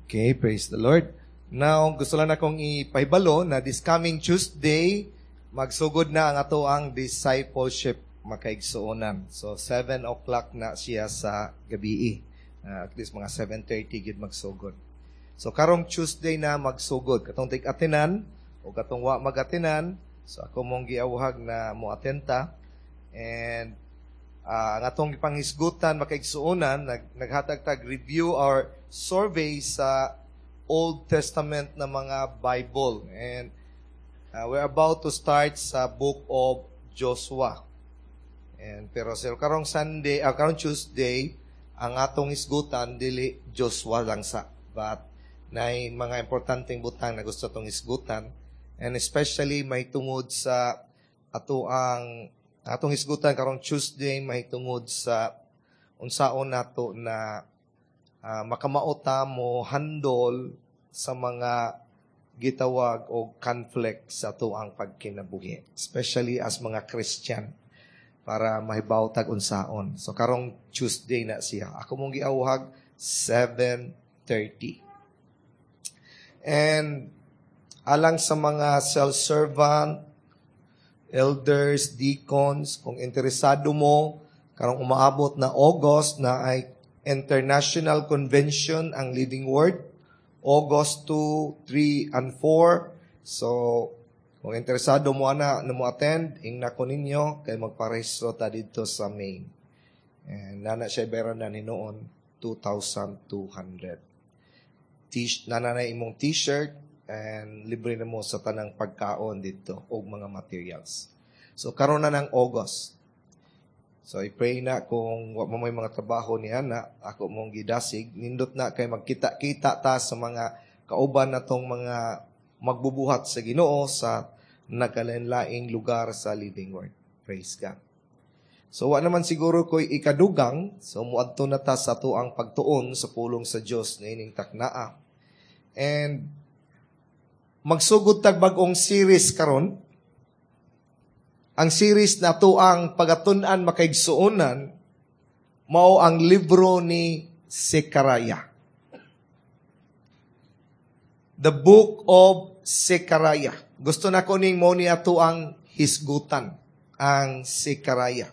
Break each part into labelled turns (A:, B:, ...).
A: Okay, praise the Lord. Now, gusto lang akong ipahibalo na this coming Tuesday, magsugod na ang ato ang discipleship, makaigsuonan. So, 7 o'clock na siya sa gabi. At least mga 7:30 gid magsugod. So, karong Tuesday na magsugod. Katong tig-atinan o katong wa mag-atinan, so ako mong giawhag na mo atenta. And ang atong gipanghisgutan, makaigsuonan, naghatag tag review or survey sa Old Testament na mga Bible. And we're about to start sa book of Joshua. And pero sir, karong Sunday, karong Tuesday, ang atong hisgutan dili Joshua lang sa, but nay mga importanteng butang na gusto tong hisgutan, and especially may tungod sa ato ang atong hisgutan karong Tuesday, may tungod sa unsaon nato na makamao ta mo handle sa mga gitawag og conflict sa ato ang pagkinabuhi, especially as mga Christian, para mahibaw tag unsaon. So karong Tuesday na siya. Ako mong giawhag 7:30. And alang sa mga self-servant, elders, deacons, kung interesado mo, karong umaabot na August na ay International Convention ang Living Word, August 2, 3, and 4. So, kung interesado mo ana na mo attend, ingna ko ninyo kay magparehistro ta dito sa main. And nana siya bayaran na hinuon 2,200. Nana na imong t-shirt and libre na mo sa tanang pagkaon dito og mga materials. So karon na ng August. So i-pray na kung wa mo may mga trabaho ni ana, ako mong gidasig, nindot na kay magkita-kita ta sa mga kauban natong mga magbubuhat sa Ginoo sa nagkalain-laing lugar sa Living Word. Praise God. So wa naman siguro ko'y ikadugang, so muadto na ta sa atuang pagtuon sa pulong sa Dios niining taknaa. And magsugod tag bag-ong series karon. Ang series na atuang pagatun-an, makaigsuonan, mao ang libro ni Zechariah. The Book of Zechariah. Gusto na ko ning mo ni ato ang hisgutan, ang Zechariah.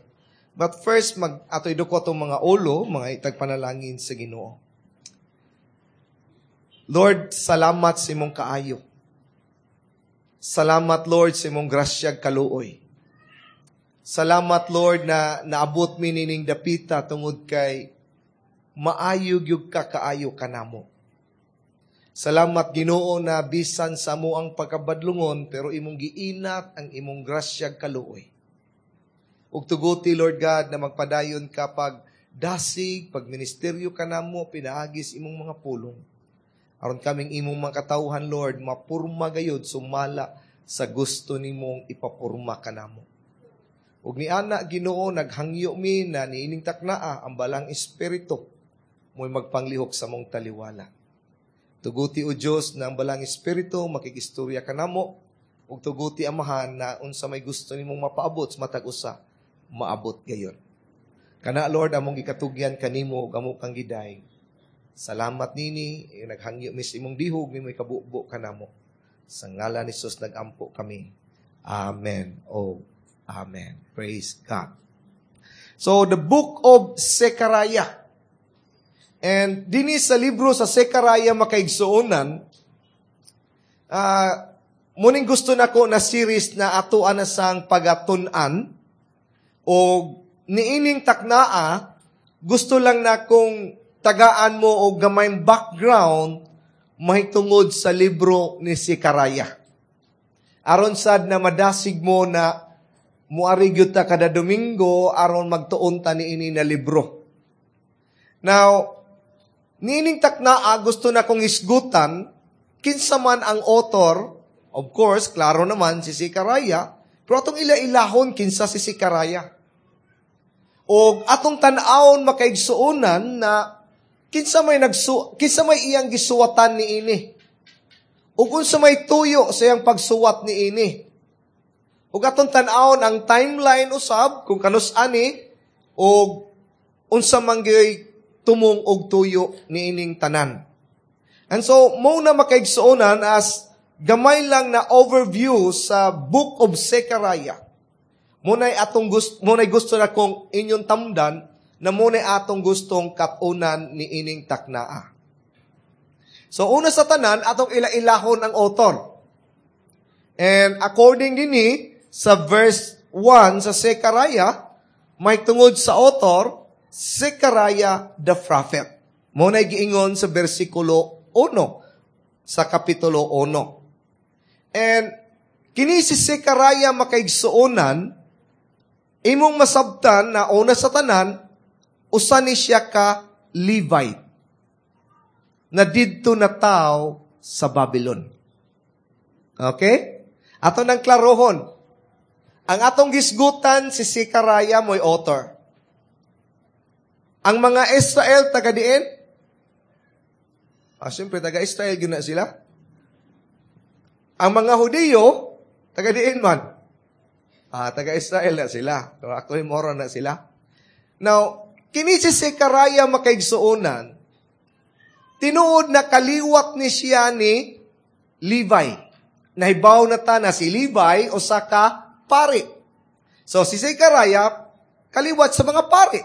A: But first, mag atoy duko atong mga ulo, mga itagpanalangin sa Ginoo. Lord, salamat sa imong kaayo. Salamat, Lord, sa imong grasyag kaluoy. Salamat, Lord, na naabot mi nining dapita tungod kay maayo gyud ka kaayo kanamo. Salamat, Ginoo, na bisan sa amo ang pagkabadlungon pero imong giinat ang imong grasyag kaluoy. Ug tuguti, Lord God, na magpadayon ka pag dasig, pag ministeryo kanamo pinaagis imong mga pulong. Aron kaming imong mga katawhan, Lord, mapurma gayud sumala sa gusto nimong ipapurma kanamo. Ug niana, Ginoo, naghangyo mi na niining taknaa ang Balang Espiritu mo'y magpanglihok sa mong taliwala. Tuguti, o Dios, na ang Balang Espiritu makikistorya kanamo ug tuguti, Amahan, na unsa may gusto nimong mapaabot sa matag usa, maabot gayon. Kana, Lord, among gikatugyan kanimo ug amo kang giday. Salamat nini, naghangyo mi sa imong dihog nimo ikabubo kanamo. Sa ngalan ni Jesus nagampo kami. Amen. Oh, amen. Praise God. So, the Book of Zechariah. And dinhi sa libro sa Zechariah, makaigsuonan, muning gusto nako na series na ato ana sang pagatun-an o niining taknaa, gusto lang na kong tagaan mo og gamay background mahitungod sa libro ni Zechariah. Aron sad na madasig mo na muari gyud ta kada Domingo aron magtuon ta niini na libro. Now, niining taknaa gusto na kong isgutan kinsa man ang author. Of course, klaro naman si Zechariah, pero atong ila-ilahon kinsa si Zechariah. O atong tan-awon, makaigsuonan, na kinsa may iyang gisuwatan niini. Ug unsa may tuyo sa iyang pagsuwat niini. Ug atong tan-awon ang timeline usab kung kanus ani ug unsa man gyud tumong og tuyo niining tanan. And so, mao na, makaigsuonan, as gamay lang na overview sa Book of Zechariah. Muna'y gusto na kong inyong tamdan na muna'y atong gustong katunan ni ining taknaa. So, una sa tanan, atong ila-ilahon ang author. And according dinhi sa verse 1 sa Zechariah, may tungod sa author, Zechariah the prophet. Mao giingon sa versikulo 1 sa kapitulo 1. And kini si Zechariah, makaigsuonan, imong masabtan na una sa tanan, usa ni siya ka Levite na didto na tao sa Babylon. Okay? Ato nang klarohon. Ang atong gisgutan, si Zechariah mo'y author. Ang mga Israel, taga diin? Ah, siyempre, taga Israel gyud na sila. Ang mga Hudiyo, taga diin man? Ah, taga Israel na sila. Pero actually, moro na sila. Now, kini si Zechariah, makaigsuonan, tinuod na kaliwat ni siya ni Levi. Nahibaw na ta na si Levi usa ka pari. So si Zechariah, kaliwat sa mga pari.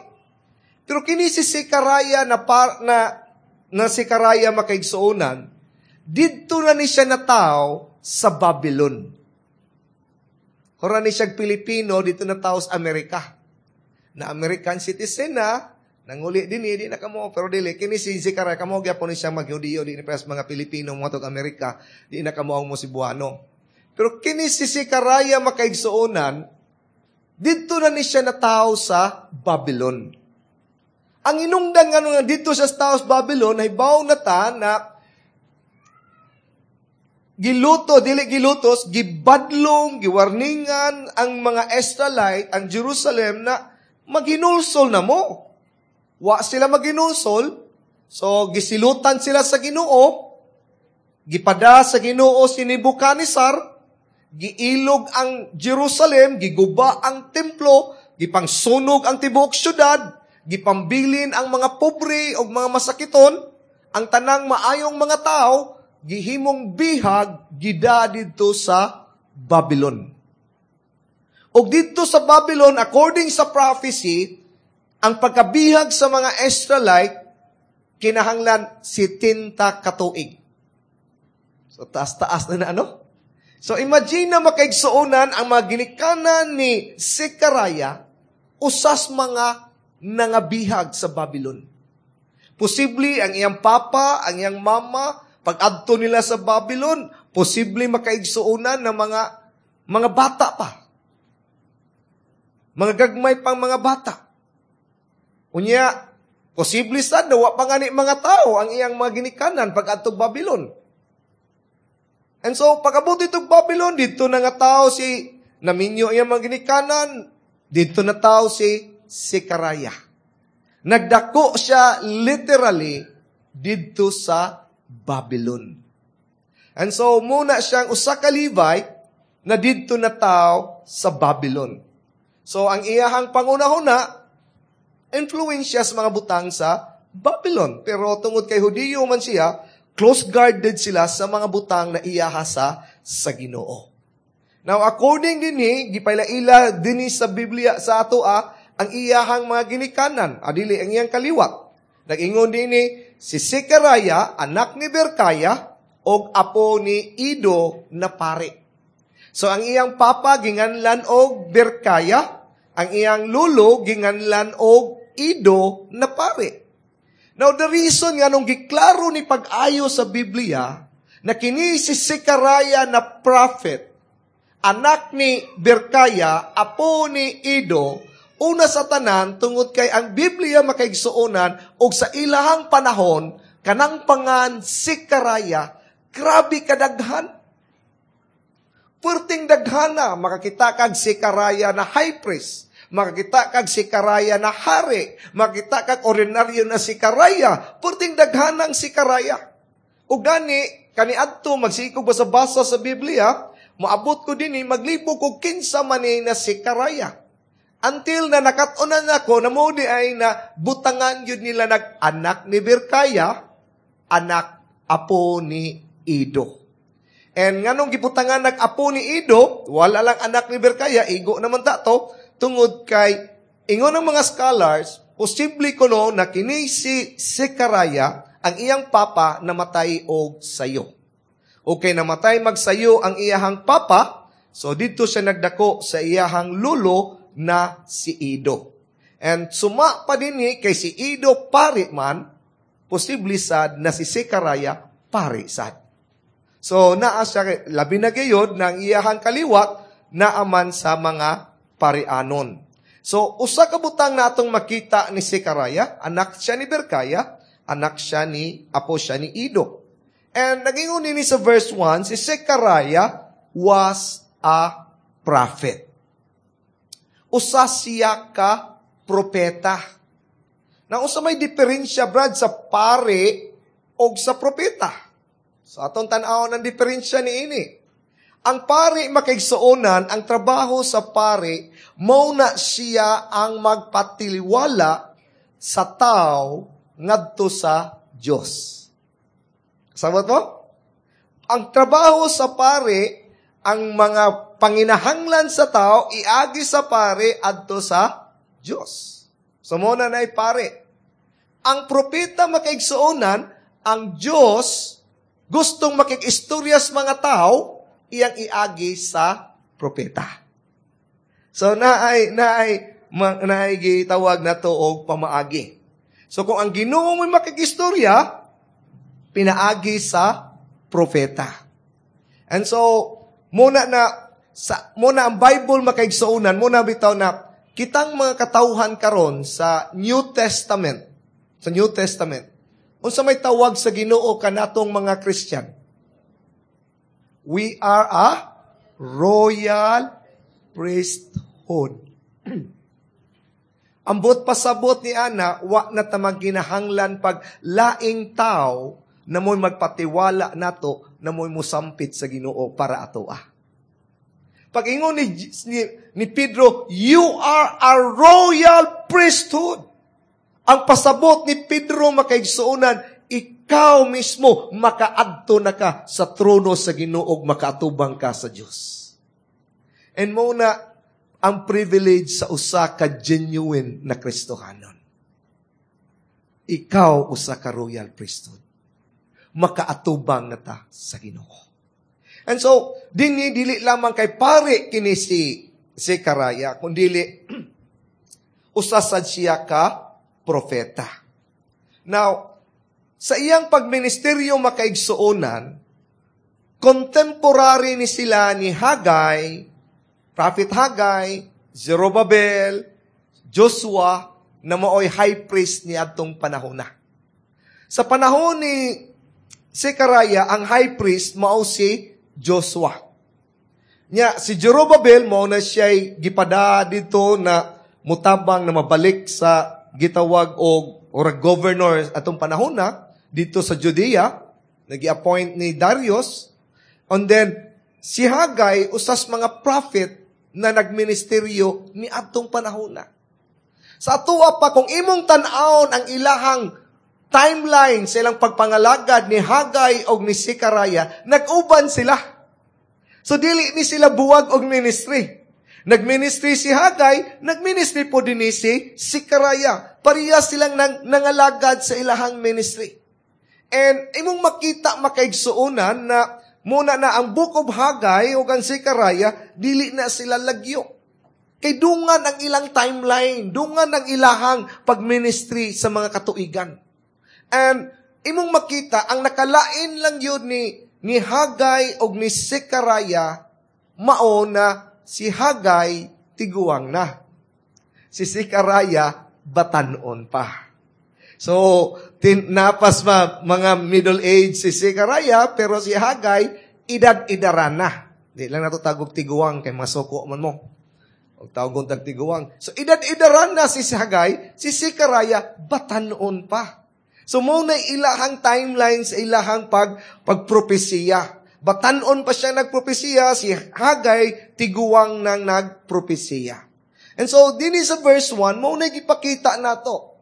A: Pero kini si Zechariah na Zechariah, makaigsuonan, didto na ni siya nataw sa Babylon. Hora ni siya Pilipino, didto na tao sa Amerika. Na American citizen na, nanguli din eh, di na kamo, pero dili, kini si Zechariah, kamo gyapon ni siya maghudiyo, di ni parehas mga Pilipino, mga tog Amerika, di na kamo ang mo Cebuano. Pero kini si Zechariah, makaigsuonan, didto na ni siya nataw sa Babylon. Ang inungdan nga nga didto sa tao sa Babylon, nahibaw na ta na giluto, dili gilutos, gibadlong, giwarningan ang mga Israelite, ang Jerusalem na maghinulsol na mo. Wa sila maghinulsol, so gisilutan sila sa Ginoo, gipada sa Ginoo si Nebuchadnezzar, giilog ang Jerusalem, giguba ang templo, gipangsunog ang tibuok syudad, gipambilin ang mga pobre o mga masakiton, ang tanang maayong mga tao, gihimong bihag, gida didto sa Babylon. Og didto sa Babylon, according sa prophecy, ang pagkabihag sa mga Israelite, kinahanglan 70 katuig. So, taas-taas na na ano? So, imagine na, makaigsuonan, ang mga ginikanan ni Zechariah, usas mga nangabihag sa Babylon. Posible ang iyang papa, ang iyang mama, pag-adto nila sa Babylon, posible, makaigsuonan, ng mga bata pa. Mga gagmay pang mga bata. Unya, posible sad na wa pa ngani mga tao ang iyang mga ginikanan pag-adto Babylon. And so, pag-abot ditong Babylon, didto na nga tao si, naminyo iyang mga ginikanan, didto na tao si Zechariah. Nagdako siya literally didto sa Babylon. And so, muna siyang usa ka Levite na didto na tao sa Babylon. So, ang iyahang pangunahuna, influensya sa mga butang sa Babylon. Pero tungod kay Hudiyo man siya, close-guarded sila sa mga butang na iyaha sa Ginoo. Now, according dinhi, gipailaila dinhi sa Biblia sa ato ang iyahang mga ginikanan, adili ang iyang kaliwat. Nag-ingon dinhi, si Zechariah, anak ni Berkaya, og apo ni Ido na pare. So, ang iyang papa ginganlan og Berkaya, ang iyang lulo ginganlan og Ido na pare. Now, the reason nga nung giklaro ni pag-ayo sa Biblia na kini si Zechariah na prophet, anak ni Berkaya, apo ni Ido, una sa tanan, tungod kay ang Biblia, makaigsuonan, og sa ilahang panahon, kanang pangan Zechariah, grabe kadaghan. Perting daghana, makakita kag Zechariah na high priest, makakita kag Zechariah na hari, makakita kag ordinaryo na Zechariah, perting daghanang Zechariah. O gani, kaniadto, magsikog basa-basa sa Biblia, moabot ko dinhi, maglibog ko kinsa man ni na Zechariah. Until na nakat-unan ako na mo di ay na butangan yun nila nag anak ni Berkaya, anak apo ni Ido. And nganong gibutangan nag apo ni Ido, wala lang anak ni Berkaya, igo naman ta to, tungod kay ingon ang mga scholars, posible kuno na kini si Zechariah, ang iyang papa namatay og sayo. Okay, namatay magsayo ang iyahang papa, so dito siya nagdako sa iyahang lulo na si Ido. And suma pa din kay si Ido pari man, posible sad na si Zechariah pari sad. So naa siya, labi na gayod ng iyahang kaliwat naaman sa mga parianon. So usa ka butang natong makita ni Zechariah, anak siya ni Berkaya, anak siya ni, apo siya ni Ido. And nagingon ni sa verse 1, si Zechariah was a prophet. Usa siya ka propeta. Na usa may diferensya, Brad, sa pare og sa propeta. So atong tan-awon ang diferensya ni ini. Ang pare, makaigsuonan, ang trabaho sa pare, mao na siya ang magpatiliwala sa tao ngadto sa Dios. Sabot mo? Ang trabaho sa pare, ang mga panginahanglan sa tao, iagi sa pare adto sa Dios. So mo na na'y pare. Ang propeta, makaigsuonan, ang Dios gustong makikistorya sa mga tao, iyang iagi sa propeta. So naay gitawag na to og pamaagi. So kung ang Ginoo mo'y makikistorya, pinaagi sa propeta. And so muna ang Bible, makaigsuonan, muna bitaw na kitang mga katawhan karon sa New Testament, sa New Testament, unsa may tawag sa Ginoo kanatong mga Christian? We are a royal priesthood. Ambot pasabot ni ana, wa na ta magginahanglan pag laing tao na mo'y magpatiwala nato na mo'y musampit sa Ginoo para ato ah. Pag ingon ni Pedro, "You are a royal priesthood." Ang pasabot ni Pedro, makaigsuonan, ikaw mismo makaadto na ka sa trono sa Ginoo, makaatubang ka sa Dios. And mo na ang privilege sa usa ka genuine na Kristohanon. Ikaw usa ka royal priesthood. Makaatubang na ta sa Ginoo. And so, dinhi dili lamang kay pare kini si Zechariah, kundi usa sad siya ka propeta. Now, sa iyang pagministeryo, makaigsuonan, contemporary ni sila ni Haggai, Prophet Haggai, Zerubbabel, Joshua, na maoy high priest ni adtong panahon na. Sa panahon ni Zechariah, ang high priest mao si Joshua. Nya, si Zerubbabel mao na siya'y gipada dito na mutabang na mabalik sa gitawag og or governor atong panahon na dito sa Judea, nagi-appoint ni Darius. And then si Haggai usas mga prophet na nagministeryo ni adtong panahon na. Sa atoa pa, kung imong tan-awon ang ilahang timeline sa ilang pagpangalagad ni Haggai og ni Zechariah, nag-uban sila. So dili ni sila buwag og ministry. Nagministry si Haggai, nagministry po din ni si Zechariah. Pareha silang nangalagad sa ilahang ministry. And imong makita, makaigsuonan, na muna na ang Book of Haggai o ang Zechariah, dili na sila lagyo. Kay dungan ang ilang timeline, dungan ang ilahang pagministry sa mga katuigan. And imong makita, ang nakalain lang yun ni Haggai o ni Zechariah, mao na si Haggai tiguang na. Si Zechariah batanon pa. So, napas ma, mga middle age si Zechariah, pero si Haggai, edad-edaran na. Di lang nato tagog tiguang, kay masuko man mo. O tawag tag tiguang. So, edad-edaran na si Haggai, si Zechariah, batanon pa. So, mo na ilahang timeline sa ilahang pagpropesiya. Batanon pa siya nagpropesiya, si Haggai, tiguang nang nagpropesiya. And so, dinhi sa verse 1, mo na gipakita nato.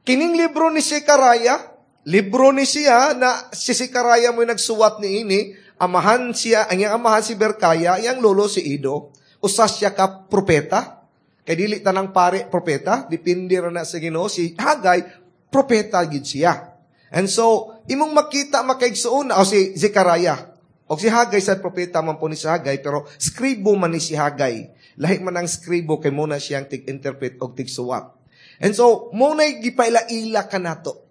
A: Kining libro ni Zechariah, Libro ni siya na si Zekaraya mo'y nagsuwat ni ini, amahan siya, ang iyang amahan si Berkaya, iyang lolo si Ido. Usa siya ka propeta. Kay dili tanang pare propeta, depende ra na sa Ginoo. Si Hagay, propeta gid siya. And so, imong makita, makaigsuon, o si Zekaraya. O si Hagay sa propeta man po ni si Hagay, pero skribo man ni si Hagay. Lahi man ang skribo kay muna siyang tig-interpret og tigsuwat. And so, muna'y gipaila-ila ka nato.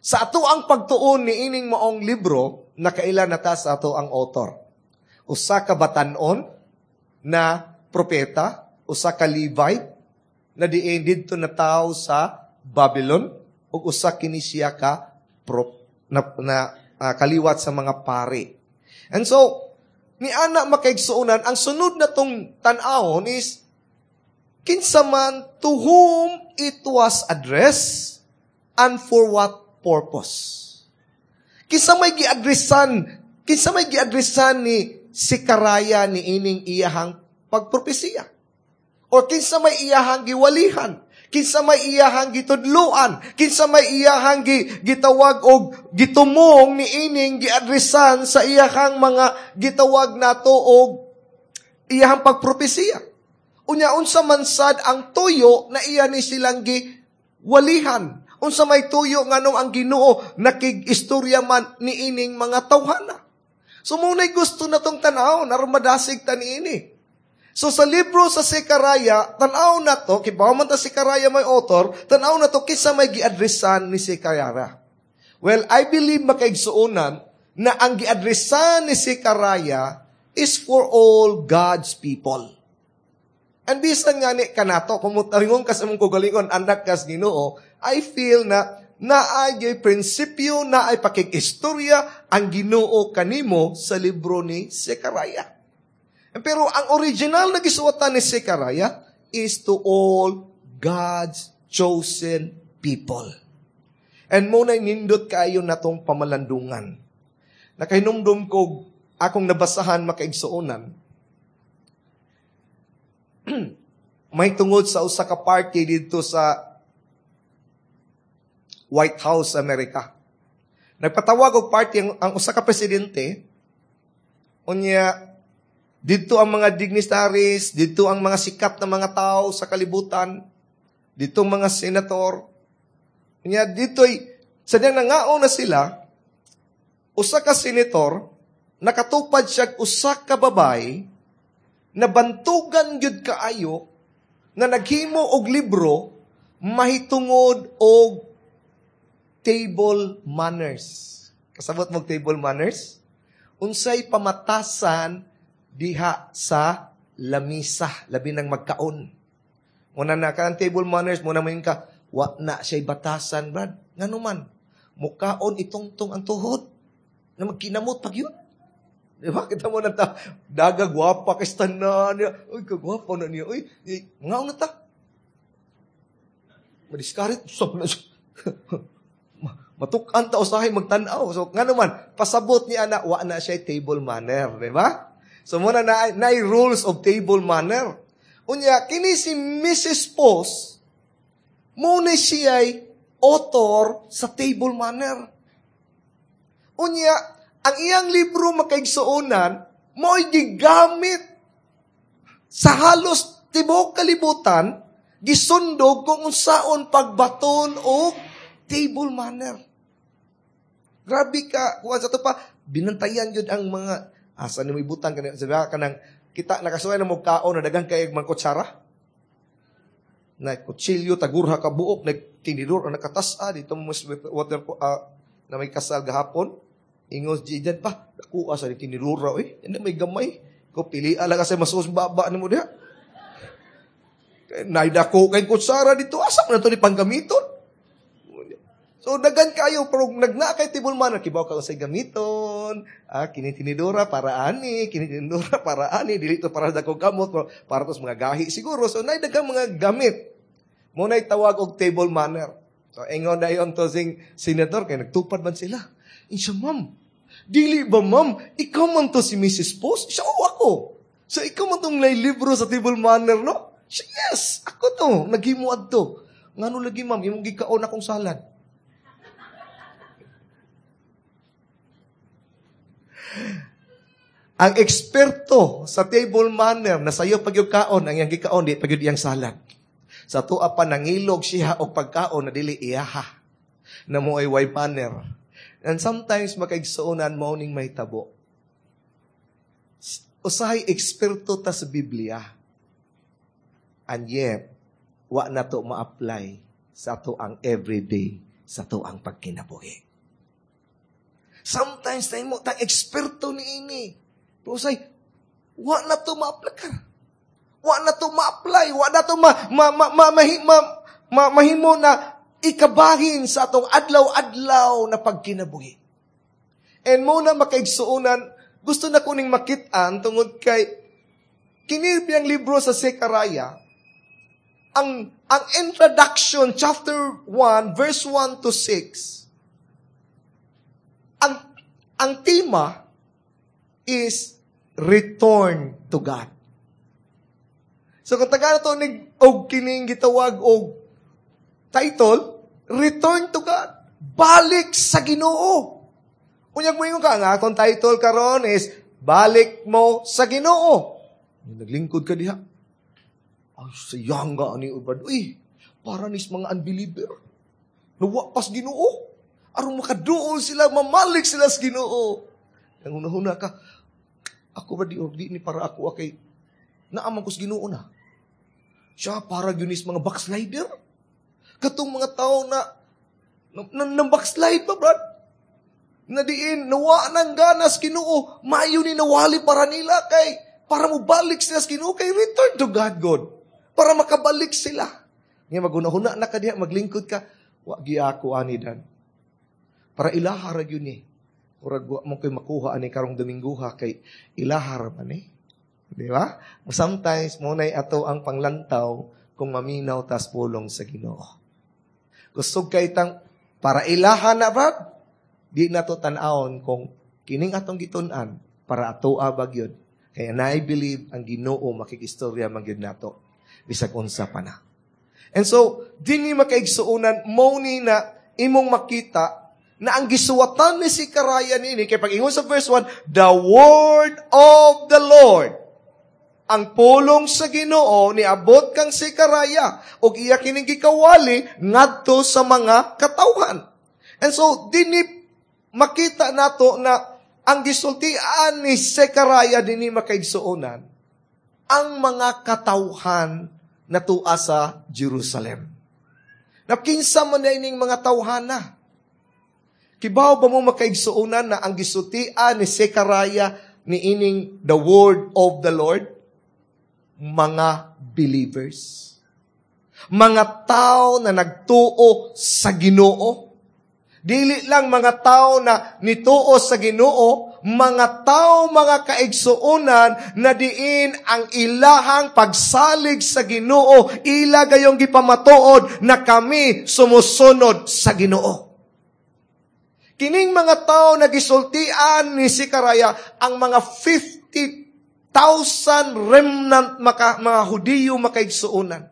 A: Sa ato ang pagtuon ni ining maong libro, nakaila na ta sa ato ang author. Usa ka batanon na propeta, usa ka Levite, na diin didto na tao sa Babylon, ug usa kini siya ka na kaliwat sa mga pari. And so, ni ana, makaigsuonan, ang sunod na tong tan-awon is, kinsa man, to whom it was addressed, and for what purpose. Kinsa may giadresan ni Zekaraya ni ining iyahang pagpropesiya? Or kinsa may iyahang giwalihan? Kinsa may iyahang gitudluan? Kinsa may iyahang gitawag og gitumong ni ining giadresan sa iyahang mga gitawag nato og iyahang pagpropesiya? Unya, unsa man sad ang tuyo na iya ni silang giwalihan? Unsa may tuyo nganong ang Ginoo nakig-istorya man ni ining mga tawhana? So muna'y gusto na tong tanaw, aron madasig ta niini. So sa libro sa Zekaraya, tanaw na to, kibaw man ta Zekaraya may author, tanaw na to kinsa may giadresan ni Zekaraya. Well, I believe, makaigsuonan, na ang giadresan ni Zekaraya is for all God's people. And bisan nga ni kanato, kung mutaringon ka sa mong kugalingon, anak kas Ginoo, I feel na naay prinsipyo, naay pakig-istorya ang Ginoo kanimo sa libro ni Zekaraya. Pero ang original na gisuwatan ni Zekaraya is to all God's chosen people. And mo na nindot kayo na tong pamalandungan. Nakahinumdum ko akong nabasahan, makaigsuonan, may tungod sa usa ka party dito sa White House, Amerika. Nagpatawag og party ang usa ka presidente. Unya didto ang mga dignitaries, didto ang mga sikat na mga tao sa kalibutan, didto ang mga senator. Unya dito'y sa diyang nangaon na sila, usa ka senator nakatupad siya usa ka babay na bantugan gyud kaayo na naghimo og libro mahitungod og table manners. Kasabot mo table manners? Unsay pamatasan diha sa lamisa, labi nang magkaon. Muna na ka table manners, muna mo ka, wa na siya'y batasan, brad. Ngano man, mukaon itungtong ang tuhod. Na magkinamot pag yun. Di ba? Kita mo na ta, daga gwapa kay tanan niya. Uy, kagwapa na niya. Uy, ngaon na ta. Madiskarit. So, na siya. Matukan ta usahay magtan-aw. So, nga naman, pasabot niya na, wa na siya table manner. Di ba? So, muna na rules of table manner. Unya, kini si Mrs. Post, muna siya author sa table manner. Unya, ang iyang libro, makaigsuonan, mo'y gigamit sa halos tibuok kalibutan, gisundog kung unsaon pagbaton og table manner. Grabe ka, kuan sa to pa, binantayan yun ang mga, asa ni mo ibutang, kanang, sabi ka kanang, kita, nakasuway na mo kaon, na dagang kay mga kutsara. Na kutsilyo, tagurha ka buok, nagtinidor, ang nakatasa, dito mo mas water, na may kasal gahapon, ingos di pa, nakuha sa tinidor, eh, hindi may gamay. Ko pili ala kasi masus baba ni mo diha. Naidako kay kutsara dito, asa man na to ni panggamiton? So, dagan kayo, pero nagna kay table manner, kibaw ka sa gamiton, kini tinidora para ani, kini tinidora para ani, dili to para dako gamot, pero para to sa mga gahi siguro. So, nay daghang mga gamit. Mo nay tawag og table manner. So, ingon na yon to sing senator, kay nagtupad man sila. Insya, ma'am, dili ba ma'am, ikaw man to si Mrs. Post? Siya, oo ako. So, ikaw man tong lay libro sa table manner, no? Siya, yes, ako to, naghimo adto. Ngano lagi ma'am, imong gikaon akong salad. Ang eksperto sa table manner na sayo pag kaon, ang iyang gikaon, di pag iyang salad. Sa tuwa pa nangilog siya og pagkaon na dili iyaha. Na mo ay way manner. And sometimes makaigsuonan mo ning mahitabo. Usahay eksperto ta sa Biblia. And yet, wa na to ma-apply sa ato ang everyday, sa ato ang pagkinabuhi. Sometimes tayo mo tang eksperto ni ini. Pero usahay, wa na to ma-apply. Wa na to ma-apply. Wa na to mahimo na ikabahin sa atong adlaw-adlaw na pagkinabuhi. And mo na makaigsuonan, gusto na kuning makitaan tungod kay kini ang libro sa Zechariah, ang introduction, chapter 1, verse 1 to 6, ang tema is return to God. So kung taga to nig og kining gitawag og title, Return to God. Balik sa Ginoo. Unyag mo ka nga akong title karon is Balik mo sa Ginoo. Naglingkod ka diha. Ay, sayang ga ani brad. Uy, para nis mga unbeliever. Nawa pas Ginoo. Aron makaduol sila, mamalik sila sa Ginoo. Ang una-una ka, ako ba di ni para ako kay naaman ko sa Ginoo na. Siya para gyud nis mga backslider. Katong mga tao na na backslide pa, brad. Na diin, nawa ng ganas Ginoo, maayo ni nawali para nila kay para mo balik sila sa Ginoo kay return to God, God. Para makabalik sila. Nga magunahuna na ka diha, maglingkod ka, wa gi ako ani dan. Para ilaha ra gyud ni. Murag wa mo koy makuha ani karong Dominguha kay ilaha ra man eh. Di ba? Sometimes mo nay ato ang panglantaw kung maminaw tas pulong sa Ginoo. Kusog kay tang para ilaha na brad, di na to tan-awon kung kining atong gitun-an para ato ba gyud. Kaya na I believe ang Ginoo makikistorya man gyud nato bisag unsa pa na. And so, dinhi makaigsuonan mo ni na imong makita na ang gisuwatan ni Zechariah nini, kay pag-ingon sa verse 1, the word of the Lord, ang pulong sa Ginoo niabot kang Zechariah ug iya kining gikawali ngadto sa mga katawhan. And so dinhi makita nato na ang gisultian ni Zechariah dinhi makaigsuonan ang mga katawhan na tua sa Jerusalem. Na kinsa man na ining mga tawhana? Kibaw ba mo makaigsuonan na ang gisultian ni Zechariah ni ining the word of the Lord? Mga believers. Mga tao na nagtuo sa Ginoo. Dili lang mga tao na nituo sa Ginoo, mga tao, mga kaigsuonan na diin ang ilahang pagsalig sa Ginoo, ila gayong gipamatuod na kami sumusunod sa Ginoo. Kining mga tao na gisultian ni Zechariah ang mga 50,000 remnant mga Hudiyo makaigsuonan.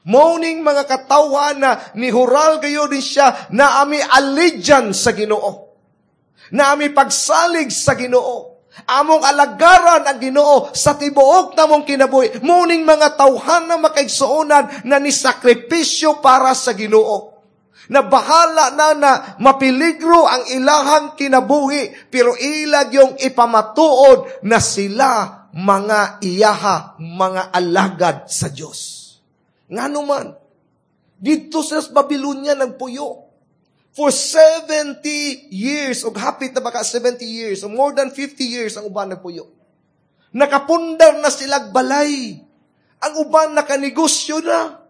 A: Morning mga katawhan na nihural gayo din siya na ami allegiance sa Ginoo. Na ami pagsalig sa Ginoo. Among alagaran ang Ginoo sa tibuok namong kinabuhi. Muning mga tawhan na makaigsuonan na nisakripisyo para sa Ginoo. Na bahala na na mapiligro ang ilahang kinabuhi, pero ilag yung ipamatuod na sila mga iyaha, mga alagad sa Diyos. Ngano man, dito sa Babylonia nagpuyo. For 70 years, o hapit na baka 70 years, o more than 50 years ang uban nagpuyo. Nakapundar na silag balay. Ang uban nakanegosyo na.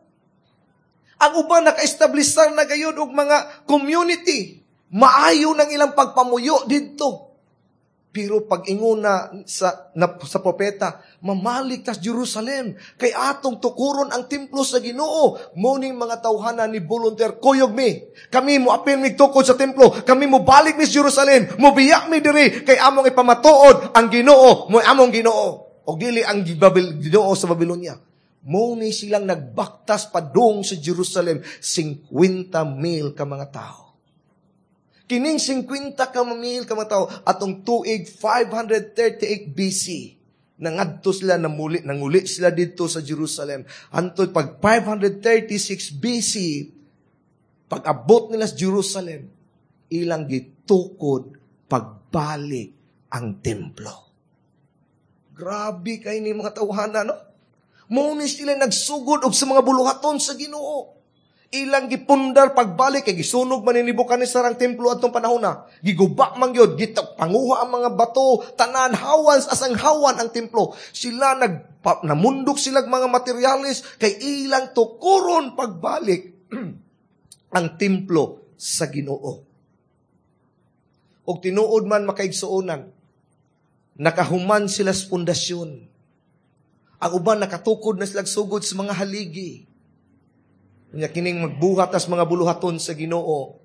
A: Ang uban naka-establisar na gayon og mga community. Maayo ng ilang pagpamuyo didto. Pero pag ingon na sa propeta, mamalik tas Jerusalem, kay atong tukuron ang templo sa Ginoo. Morning mga tawhana ni volunteer, kuyog mi. Kami mo apil mig tukod sa templo, kami mo balik mi sa Jerusalem, mo biyak mi diri, kay among ipamatuod ang Ginoo, mo among Ginoo. O dili ang Ginoo sa Babylonia. Mo ni silang nagbaktas padung sa Jerusalem, 50,000 ka mga tao. Kining 50 ka mil ka mga tao atong tuig 538 BC. Nangadto sila namuli, nanguli sila didto sa Jerusalem. Hantod pag 536 BC, pag abot nila sa Jerusalem, ilang gitukod pagbalik ang templo. Grabe kay ni mga tawhana, no? Mao ni sila nagsugod og sa mga buluhaton sa Ginoo. Ilang gipundar pagbalik kay gisunog man ni Nebuchadnezzar ang templo adtong panahon na. Giguba man gyud, panguha ang mga bato, tanan hawan asang hawan ang templo. Sila namundok sila mga materyales kay ilang tukuron pagbalik ang templo sa Ginoo. Og tinuod man, makaigsuonan, nakahuman sila sa pundasyon. Ang uban nakatukod na sila sugod sa mga haligi. Nya kining magbuhat as mga buluhaton sa Ginoo,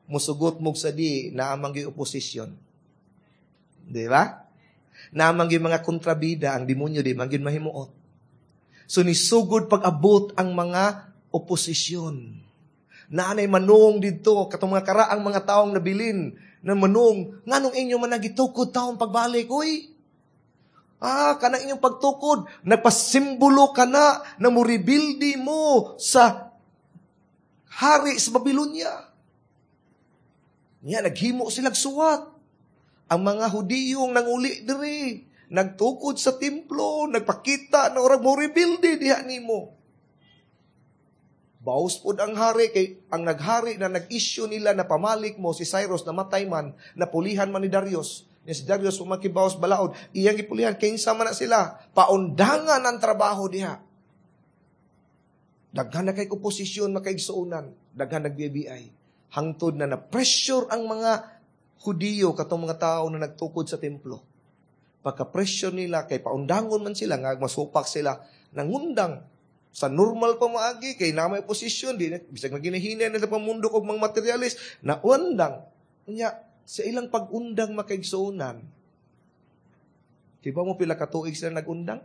A: musugot mo sa di naa man gyud oposisyon. Di ba? Naa man gyud mga kontrabida ang demonyo, di man gyud mahimuot. So nisugod pag-abot ang mga oposisyon. Naanay manung didto katong mga karaang mga taong nabilin na manung, nganong inyo man nagitukod taong pagbalik, uy? Ah, kanang inyong pagtukod, nagpasimbolo ka na na mo-rebuild mo sa hari sa Babylonia. Nya naghimo silag suwat. Ang mga Hudiyong nanguli diri, nagtukod sa templo, nagpakita na orag mo rebuild diha nimo. Baos pod ang hari kay ang naghari na nag-issue nila na pamalik mo si Cyrus, namatay man, napulihan man ni Darius. Ni si Darius umakibaos balaod, iyang gipulihan kinsa man na sila, paundangan ang trabaho diha. Daghan na kay oposisyon, makaigsuonan, daghan nag-BBI. Hangtod na na-pressure ang mga Hudiyo, katong mga tao na nagtukod sa templo. Pagka-pressure nila, kay paundangon man sila, nga masupak sila, nangundang sa normal pa maagi, kay na may oposisyon, di na, bisag naginahinay nila pamundok og mga materialis, naundang. Unya, sa ilang pag-undang, makaigsuonan, di ba mo pila katuig sila nag-undang?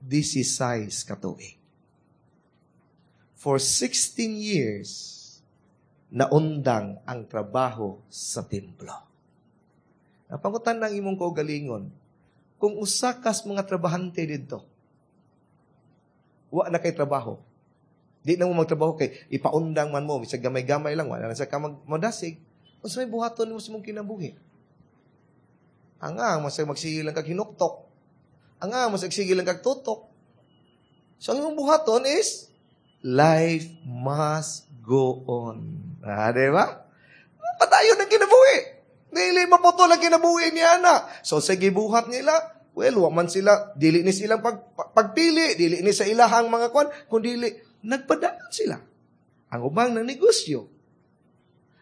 A: 16 katuig. For 16 years, naundang ang trabaho sa templo. Napangutan ng imong kaugalingon, kung usa kas mga trabahante didto, wa na kay trabaho. Di na mo magtrabaho kay ipaundang man mo, bisag gamay-gamay lang, wala na sa ka magmadasig. Unsa may buhaton nimo sa imong kinabuhi? Anga, masag magsige lang kag hinuktok. Anga, masag sige lang kag tutok. So, ang imong buhaton is, life must go on. Ah, di ba? Padayon ang kinabuhi. Dili maputol ang kinabuhi niya na. So, sa gibuhat nila, well, wa man sila, dili ni silang pagpili, dili ni sa ilahang mga kwan, kundi nagpadayon sila. Ang ubang na negosyo.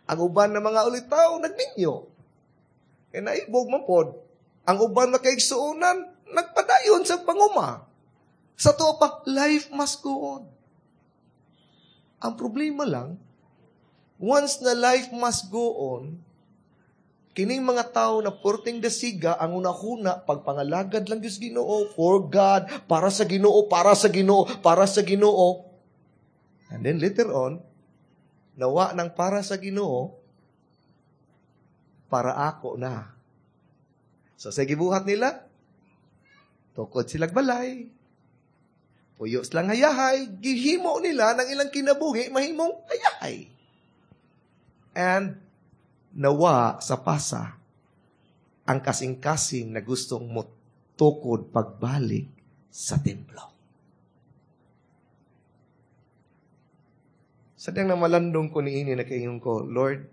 A: Ang uban na mga ulitaw, nagminyo. Kaya naibog man pod. Ang uban na kaigsuonan, nagpadayon sa panguma. Sa tuwa pa, life must go on. Ang problema lang, once na life must go on, kining mga tao na porting dasiga, ang una-huna, pagpangalagad lang Diyos Ginoo, for God, para sa Ginoo, para sa Ginoo, para sa Ginoo. And then later on, nawa ng para sa Ginoo, para ako na. So sa gibuhat nila, tukod silag balay, puyo silang hayahay, gihimo nila ng ilang kinabuhi, mahimong hayahay. And nawa sa pasa ang kasing-kasing na gustong motukod pagbalik sa templo. Sa diyang namalandong ko niini na kaingon ko, Lord,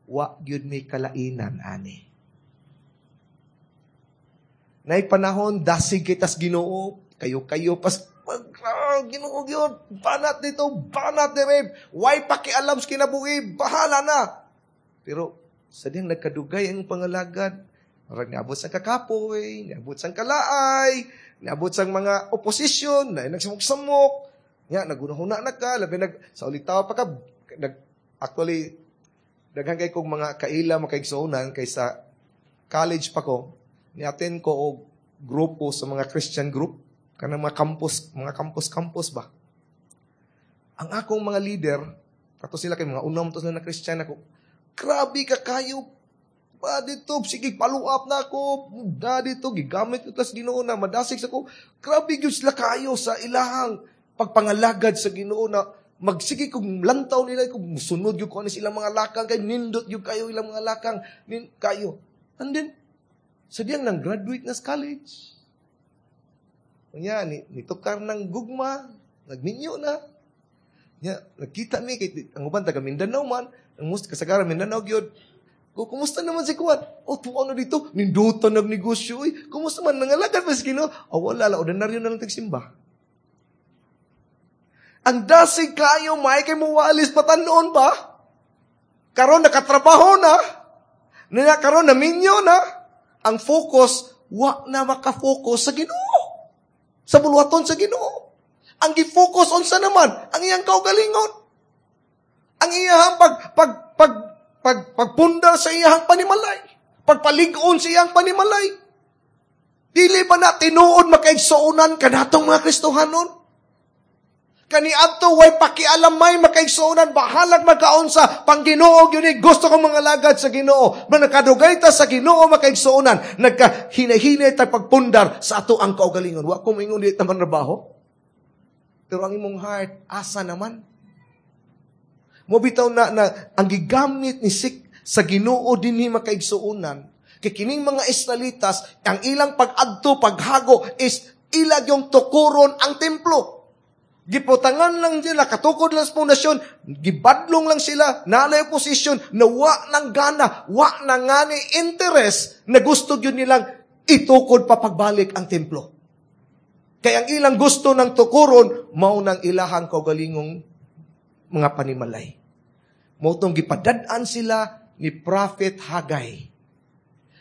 A: wa gyud mi kalainan ani. Nay panahon dasig kitas Ginoo, kayo-kayo pas Ginoo gyud, banat dito, banat dire, way pakialam sa kinabuhi, bahala na. Pero sa diyang nagkadugay ang pangalagad, marag niabot sa kakapoy, niabot sa kalaay, niabot sa mga oposisyon, na nagsamok-samok, nya nagunahuna na ka, labi nag sa ulitaw pa ka, nag, actually daghan kay kog mga kaila makaigsuonan kay sa college pa ko, ni-attend ko og grupo sa mga Christian group, kanang mga campus, mga campus-campus ba. Ang akong mga leader, Kato sila kay mga unam to sila na Christian ako. Grabe ka kayo. Ba dito, sige, follow up na ako. Da dito, gigamit ko tas Ginoo na madasig sa ko. Grabe gyud sila kayo sa ilahang pagpangalagad sa Ginoo na magsige kung lantaw nila kung musunod gyud ko ani silang mga lakang kay nindot gyud kayo ilang mga lakang nin kayo. And then sa diyang nang graduate na sa college. Unya ni nitukar ng gugma, nagminyo na. Nya nagkita mi kay ang uban taga Mindanao man, ang most kasagaran Mindanao gyud. Ko, kumusta naman si Kuan? Oh, tuwa na dito. Nindutan nagnegosyo. Uy, kumusta man? Nangalagad pa si Ginoo? Oh, wala la. Ordinaryo na lang tagsimba. Ang dasig kayo, may kay muwalis patanon ba? Karon nakatrabaho na. Nila karon naminyo na. Ang focus, wa na makafocus sa Ginoo. Sa buluhaton sa Ginoo. Ang gi-focus unsa naman? Ang iyang kaugalingon. Ang iyang pag pag pag pag pagpundar sa iyang panimalay. Pagpalig-on sa iyang panimalay. Dili ba na tinuod makaigsuonan kanatong mga Kristohanon? Kaniadto way pakialamay makaigsuonan, bahalag magkaon sa pang-Ginoo gyud ni gusto kong mga lagad sa Ginoo. Manakadugay ta sa Ginoo makaigsuonan, nagkahinahinay ta pagpundar sa ato ang kaugalingon. Wa ko moingon di ta manrabaho. Pero ang imong heart asa naman? Mo bitaw na, na ang gigamit ni sik sa Ginoo dinhi makaigsuonan kay kining mga Israelitas ang ilang pag-adto paghago is ilag yung tukuron ang templo. Giputangan lang sila, katukod lang sa pundasyon, gibadlong lang sila, naalay posisyon, na wa nang gana, wa na ngani interest na gusto yun nilang itukod papagbalik ang templo. Kaya ang ilang gusto ng tukuron, mao nang ilahang kaugalingong mga panimalay. Mao tong gipadad-an sila ni Prophet Haggai.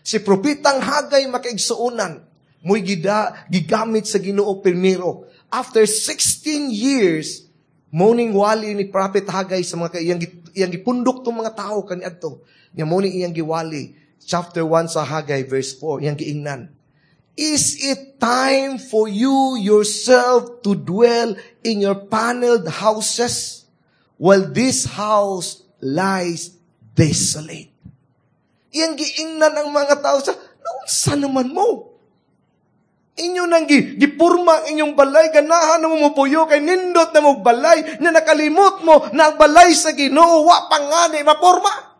A: Si Propetang Haggai makaigsuonan, mo'y gigamit sa Ginoo primero. After 16 years, morning wali ni Prophet Haggai sa mga iyang gipundok tong mga tao kaniadto. Nya mo ni iyang giwali. Chapter 1 sa Haggai verse 4, iyang giingnan. Is it time for you yourself to dwell in your paneled houses while this house lies desolate? Iyang giingnan ang mga tao sa, naunsa naman mo? Inyo nang gipurma ang inyong balay, ganahan na mo mupuyo, kay nindot na mo balay, na nakalimot mo na ang balay sa Ginoo, wa pa nga ni mapurma.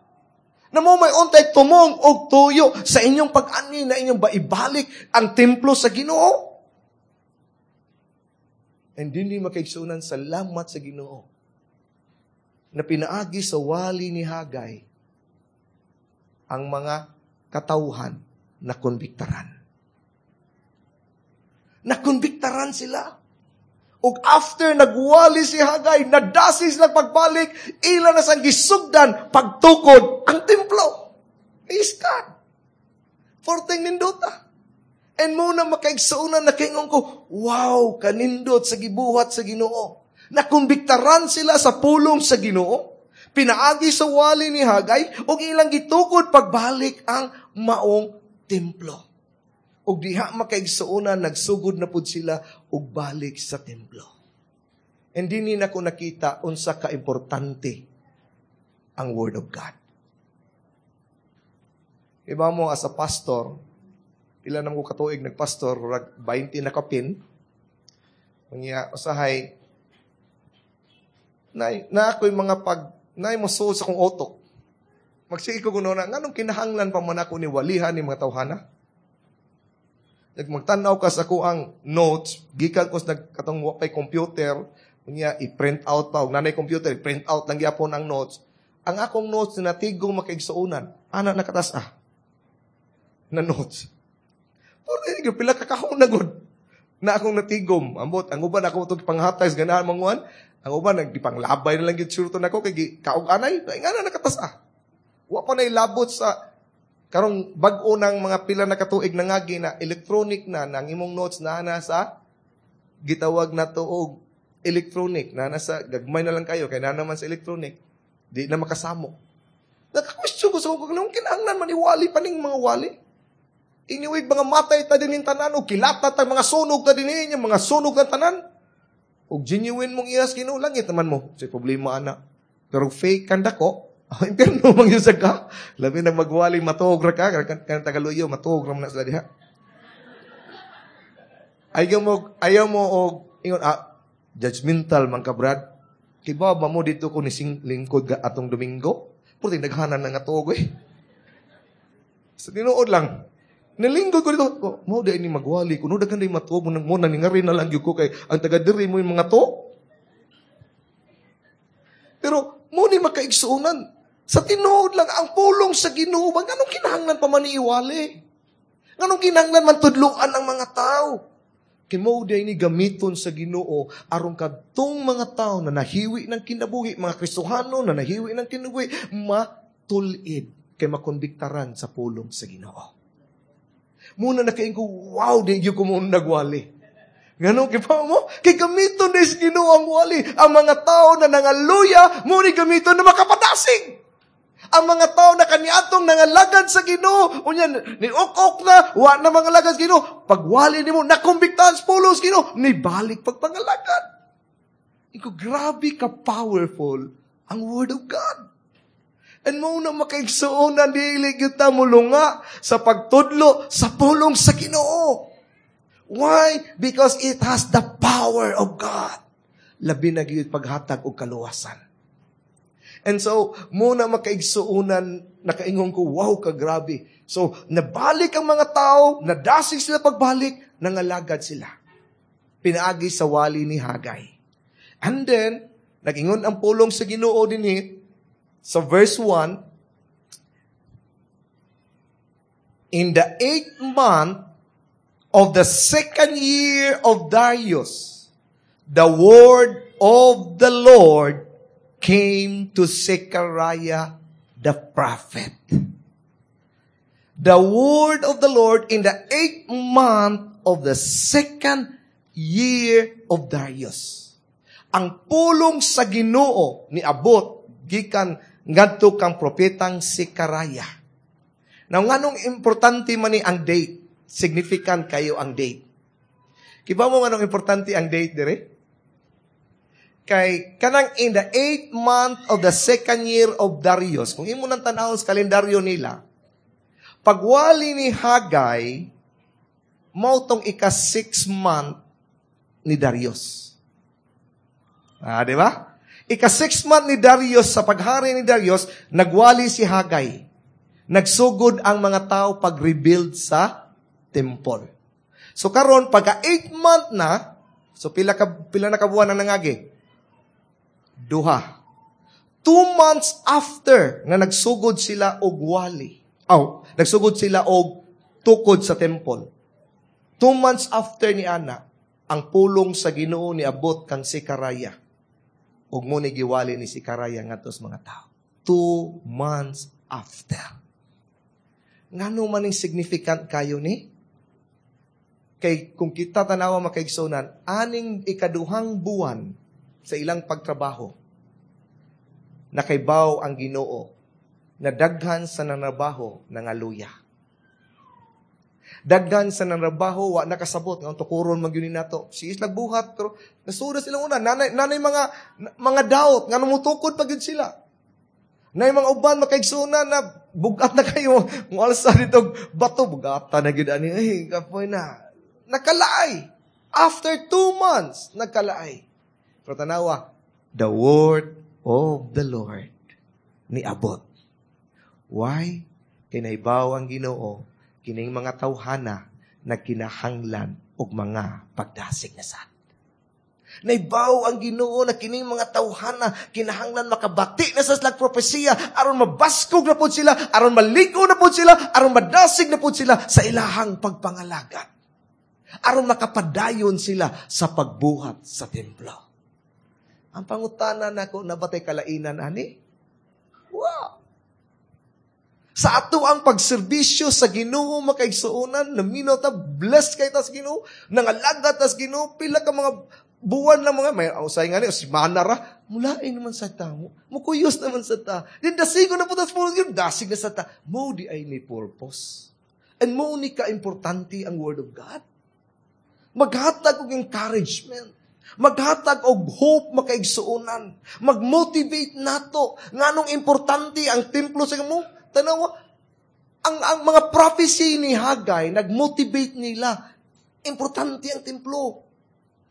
A: Na mo may untay tumong og tuyo sa inyong pag-ani na inyong baibalik ang templo sa Ginoo. And dinhi makaigsunan, salamat sa Ginoo na pinaagi sa wali ni Haggai ang mga katawhan na konbiktaran. Nakonbiktaran sila. Ug after nagwali si Haggai, nadasi sila pagbalik, ila na sang gisugdan pagtukod ang templo. Praise God. Forteng nindota. And muna makaigsuonan na kaingon ko, wow, kanindot sa gibuhat sa Ginoo. Nakumbiktaran sila sa pulong sa Ginoo. Pinaagi sa wali ni Haggai, ug ilang gitukod pagbalik ang maong templo. Ug diha makaigsuonan, nagsugod na pud sila og balik sa templo. And dinhi nako nakita unsa ka importante ang Word of God. Iba mo as a pastor, pila na mo katuig nagpastor, rag 20 na kapin. Unya usahay nay na ako'y mga pag nay mo sa akong utok. Magsige ko kuno na nganong kinahanglan pa man ako ni walihan ni mga tawhana? Nagmagtanaw ka sa ako ang notes, gikan ko sa nagkatong wa pay computer, unya i-print out pa, og nanay computer, i-print out lang gyapon ang notes. Ang akong notes na natigong makaigsuonan, ana nakatas ah. Na notes. Pero pila ka kahon na gud na akong natigom. Ambot, ang uban ako itong panghatay sa ganahan manguan, ang uban nagdipanglabay na lang gyud sure to nako kay kaog anay, nga na nakatas ah. Wa pa na ilabot sa karong bag-o ng mga pila na katuig na ngagi na electronic na nang imong notes na nasa gitawag na to og electronic na nasa gagmay na lang kayo kay na naman sa electronic di na makasamo. Naka-question ko sa kung anong kinahanglan man iwali pa ning mga wali. Anyway, mga matay ta din tanan og kilata ta mga sunog ta din niya mga sunog ang tanan. Og genuine mong iyas Ginoo langit naman mo. Sa problema ana. Pero fake kang dako, impyerno man gyud ka. Labi nang magwali, matuog ra ka, kan tagaluyo, matuog ra man na sila diha. Ayaw mo og ingon judgmental man ka, Brad. Kibaw ba mo dito ko ni lingkod ka atong Domingo? Puro naghanan na nga tuog eh. Sa tinuod lang, nilingkod ko dito, mo di ni magwali kuno daghan di matuog mo mo naningarin na lang gyud ko kay ang taga diri mo yung mga to. Pero mo ni makaigsuonan. Sa tinuod lang ang pulong sa Ginoo, nganong kinahanglan pa man iwali? Nganong kinahanglan man tudloan ang mga tao? Kay mao di ni gamiton sa Ginoo aron kadtong mga tao na nahiwi ng kinabuhi, mga Kristohano na nahiwi ng kinabuhi, matulid kay makonbiktaran sa pulong sa Ginoo. Muna nakaingon ko, wow, di gyud ko mo nagwali. Ngano kay pa mo? Kay gamiton ni sa Ginoo ang wali. Ang mga tao na nangaluya, mo ni gamiton na makapadasig. Ang mga tao na kaniadtong nangalagad sa Ginoo, unya ni ok na, wa na mga lagad sa Ginoo. Pagwali nimo, nakumbiktahan sa pulong sa Ginoo, ni balik pagpangalagad. Iko grabe ka powerful ang Word of God. And mo na makaigsuonan, dili gyud ta mulunga sa pagtudlo sa pulong sa Ginoo. Why? Because it has the power of God. Labi na gyud paghatag og kaluwasan. And so, muna makaigsuonan, nakaingon ko, wow, kagrabe. So, nabalik ang mga tao, nadasig sila pagbalik, nangalagad sila. Pinaagi sa wali ni Hagay. And then, nagingon ang pulong sa Ginoo dinhi sa verse 1, in the 8th month of the second year of Darius, the word of the Lord came to Zechariah the prophet. The word of the Lord in the 8th month of the second year of Darius. Ang pulong sa Ginoo ni abot gikan ngadto kang propetang Zechariah. Now, nganong importante man ni ang date? Significant kayo ang date. Kiba mo nganong importante ang date dire? Kay kanang in the 8th month of the second year of Darius, kung imo nang tan-awon sa kalendaryo nila, pagwali ni Hagay, mao tong ika-6 month ni Darius. Ah, di ba? Ika-6 month ni Darius, sa paghari ni Darius, nagwali si Hagay. Nagsugod ang mga tao pag-rebuild sa temple. So karon pagka 8 month na, so pila na kabuan ang nangagi? Duha. 2 months after na nagsugod sila og wali. Oh, nagsugod sila og tukod sa temple. 2 months after ni ana, ang pulong sa Ginoo ni abot kang Zechariah. Ug mo ni giwali ni Zechariah ngadto sa mga tao. 2 months after. Ngano man ning significant kayo ni? Kay kung kita tanawa makaigsunan, aning ikaduhang buwan sa ilang pagtrabaho, nakaibaw ang Ginoo na daghan sa nanrabaho nangaluya. Daghan sa nanrabaho wa nakasabot nga tukuron man gyud nato. Si islag buhat pero nasuda sila una nanay mga doubt nga mutukod pa gyud sila. Nay mga uban makaigsunan na bugat na kayo mualsa dito bato bugata na gyud ani ay kapoy na. Nakalaay. After 2 months nagkalaay. Pero tanawa, the word of the Lord ni abot. Why? Kinaibaw ang Ginoo kining mga tawhana nagkinahanglan og mga pagdasig na sad. Naibaw ang Ginoo na kining mga tawhana kinahanglan makabati na sa slag propesiya aron mabaskog na pud sila, aron malig-on na pud sila, aron madasig na pud sila sa ilahang pagpangalagad. Aron makapadayon sila sa pagbuhat sa templo. Ang pangutana nako, nabatay kalainan ani? Wow! Sa ato ang pagserbisyo sa Ginoo makaigsuonan, naminaw ta, blessed kay ta sa Ginoo, nangalagad ta sa Ginoo, pila ka mga buwan lang mga, may usay nga ni, simana ra, mulain naman sa ta, mukuyos naman sa ta. Din dasigo na po ta sa pulong, dasig na sa ta. Mo di ay ni purpose. And mo ni ka-importante ang Word of God. Maghatag og encouragement. Maghatag og hope, makaigsuonan. Mag-motivate nato. Nganong importante ang templo sa mo? Tanawa, ang mga prophecy ni Haggai, nag-motivate nila. Importante ang templo.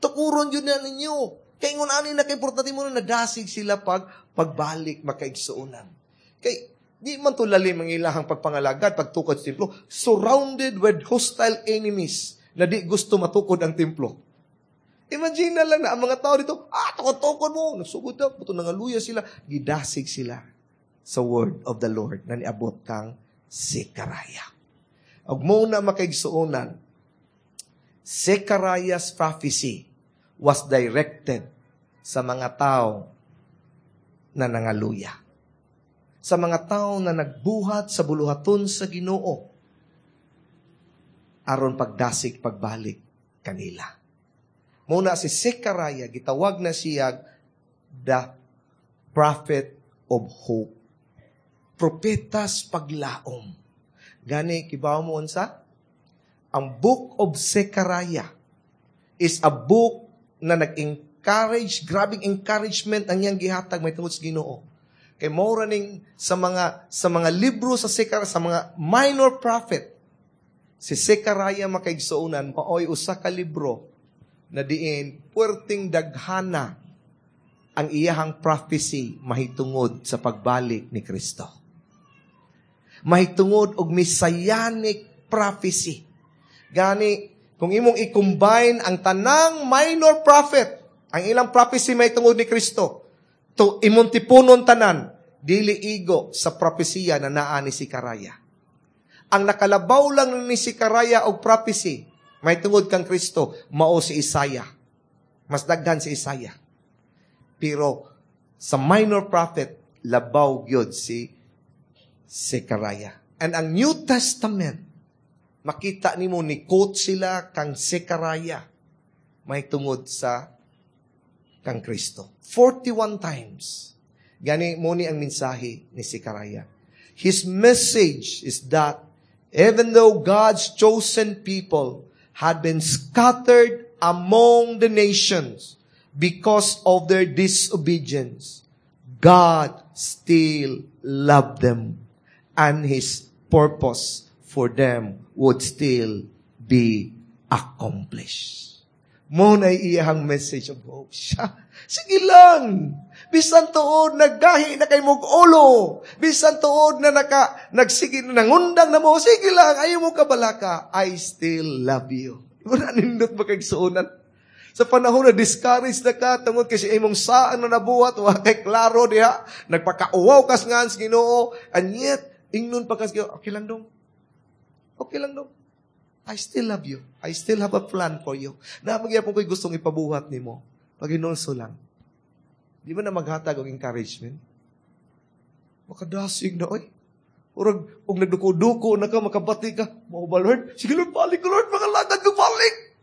A: Tukuron yun na ninyo. Kay ingon ani na kaimportante mo na nadasig sila pag pagbalik, makaigsuonan. Kay di man to lalim ang ilahang pagpangalagad, pagtukod sa templo, surrounded with hostile enemies na di gusto matukod ang templo. Imagine na lang na ang mga tao dito, tukod-tukod mo, nagsugod na, buto nangaluya sila, gidasig sila sa word of the Lord na niabot kang Zechariah. Ug mo na, makaigsuonan, Zechariah's prophecy was directed sa mga tao na nangaluya. Sa mga tao na nagbuhat sa buluhaton sa Ginoo aron pagdasig pagbalik kanila. Muna si Zechariah, gitawag na siya the prophet of hope. Propetas paglaom. Gani, kibaw mo unsa? Ang Book of Zechariah is a book na nag-encourage, grabing encouragement ang iyang gihatag may tungod sa Ginoo. Kay mao ning sa mga libro sa Zechariah, sa mga minor prophet, si Zechariah, makaigsuonan, maoy usa ka libro na diin puwerteng daghana ang iyahang prophecy mahitungod sa pagbalik ni Kristo. Mahitungod og messianic prophecy. Gani, kung imong i-combine ang tanang minor prophet, ang ilang prophecy mahitungod ni Kristo, to imong tipunon tanan, dili igo sa propesiya na naa ni Zechariah. Ang nakalabaw lang ni Zechariah og prophecy mahitungod kang Kristo, mao si Isaiah. Mas daghan si Isaiah. Pero sa minor prophet, labaw gyud si Zechariah. And ang New Testament, makita nimo ni quote sila kang Zechariah mahitungod sa kang Kristo. 41 times. Gani mo ni ang mensahe ni Zechariah. His message is that even though God's chosen people had been scattered among the nations because of their disobedience, God still loved them and His purpose for them would still be accomplished. Mo na iyahang message of hope. Siya, sige lang. Bisan tuod naggahi na kay mog ulo. Bisan tuod na nagsige, nangundang na mo. Sige lang, ayaw mo kabalaka. I still love you. Wala nindot makaigsuonan. Sa panahon na discouraged na ka, tungod kasi imong saan na nabuhat, wa kay klaro diha, nagpakauwaw kas nga sa Ginoo, and yet, ingnon pa kas Ginoo, "Okay lang dong. Okay lang dong. I still love you. I still have a plan for you." Na magyapon ko'y gustong ipabuhat nimo. Paghinulso lang. Di ba na maghatag og encouragement? Makadasig na, oy. Urag, og nagduko-duko na ka, makabati ka. Mao ba, Lord? Sige, Lord, balik ko, Lord. Makalagad ko, balik.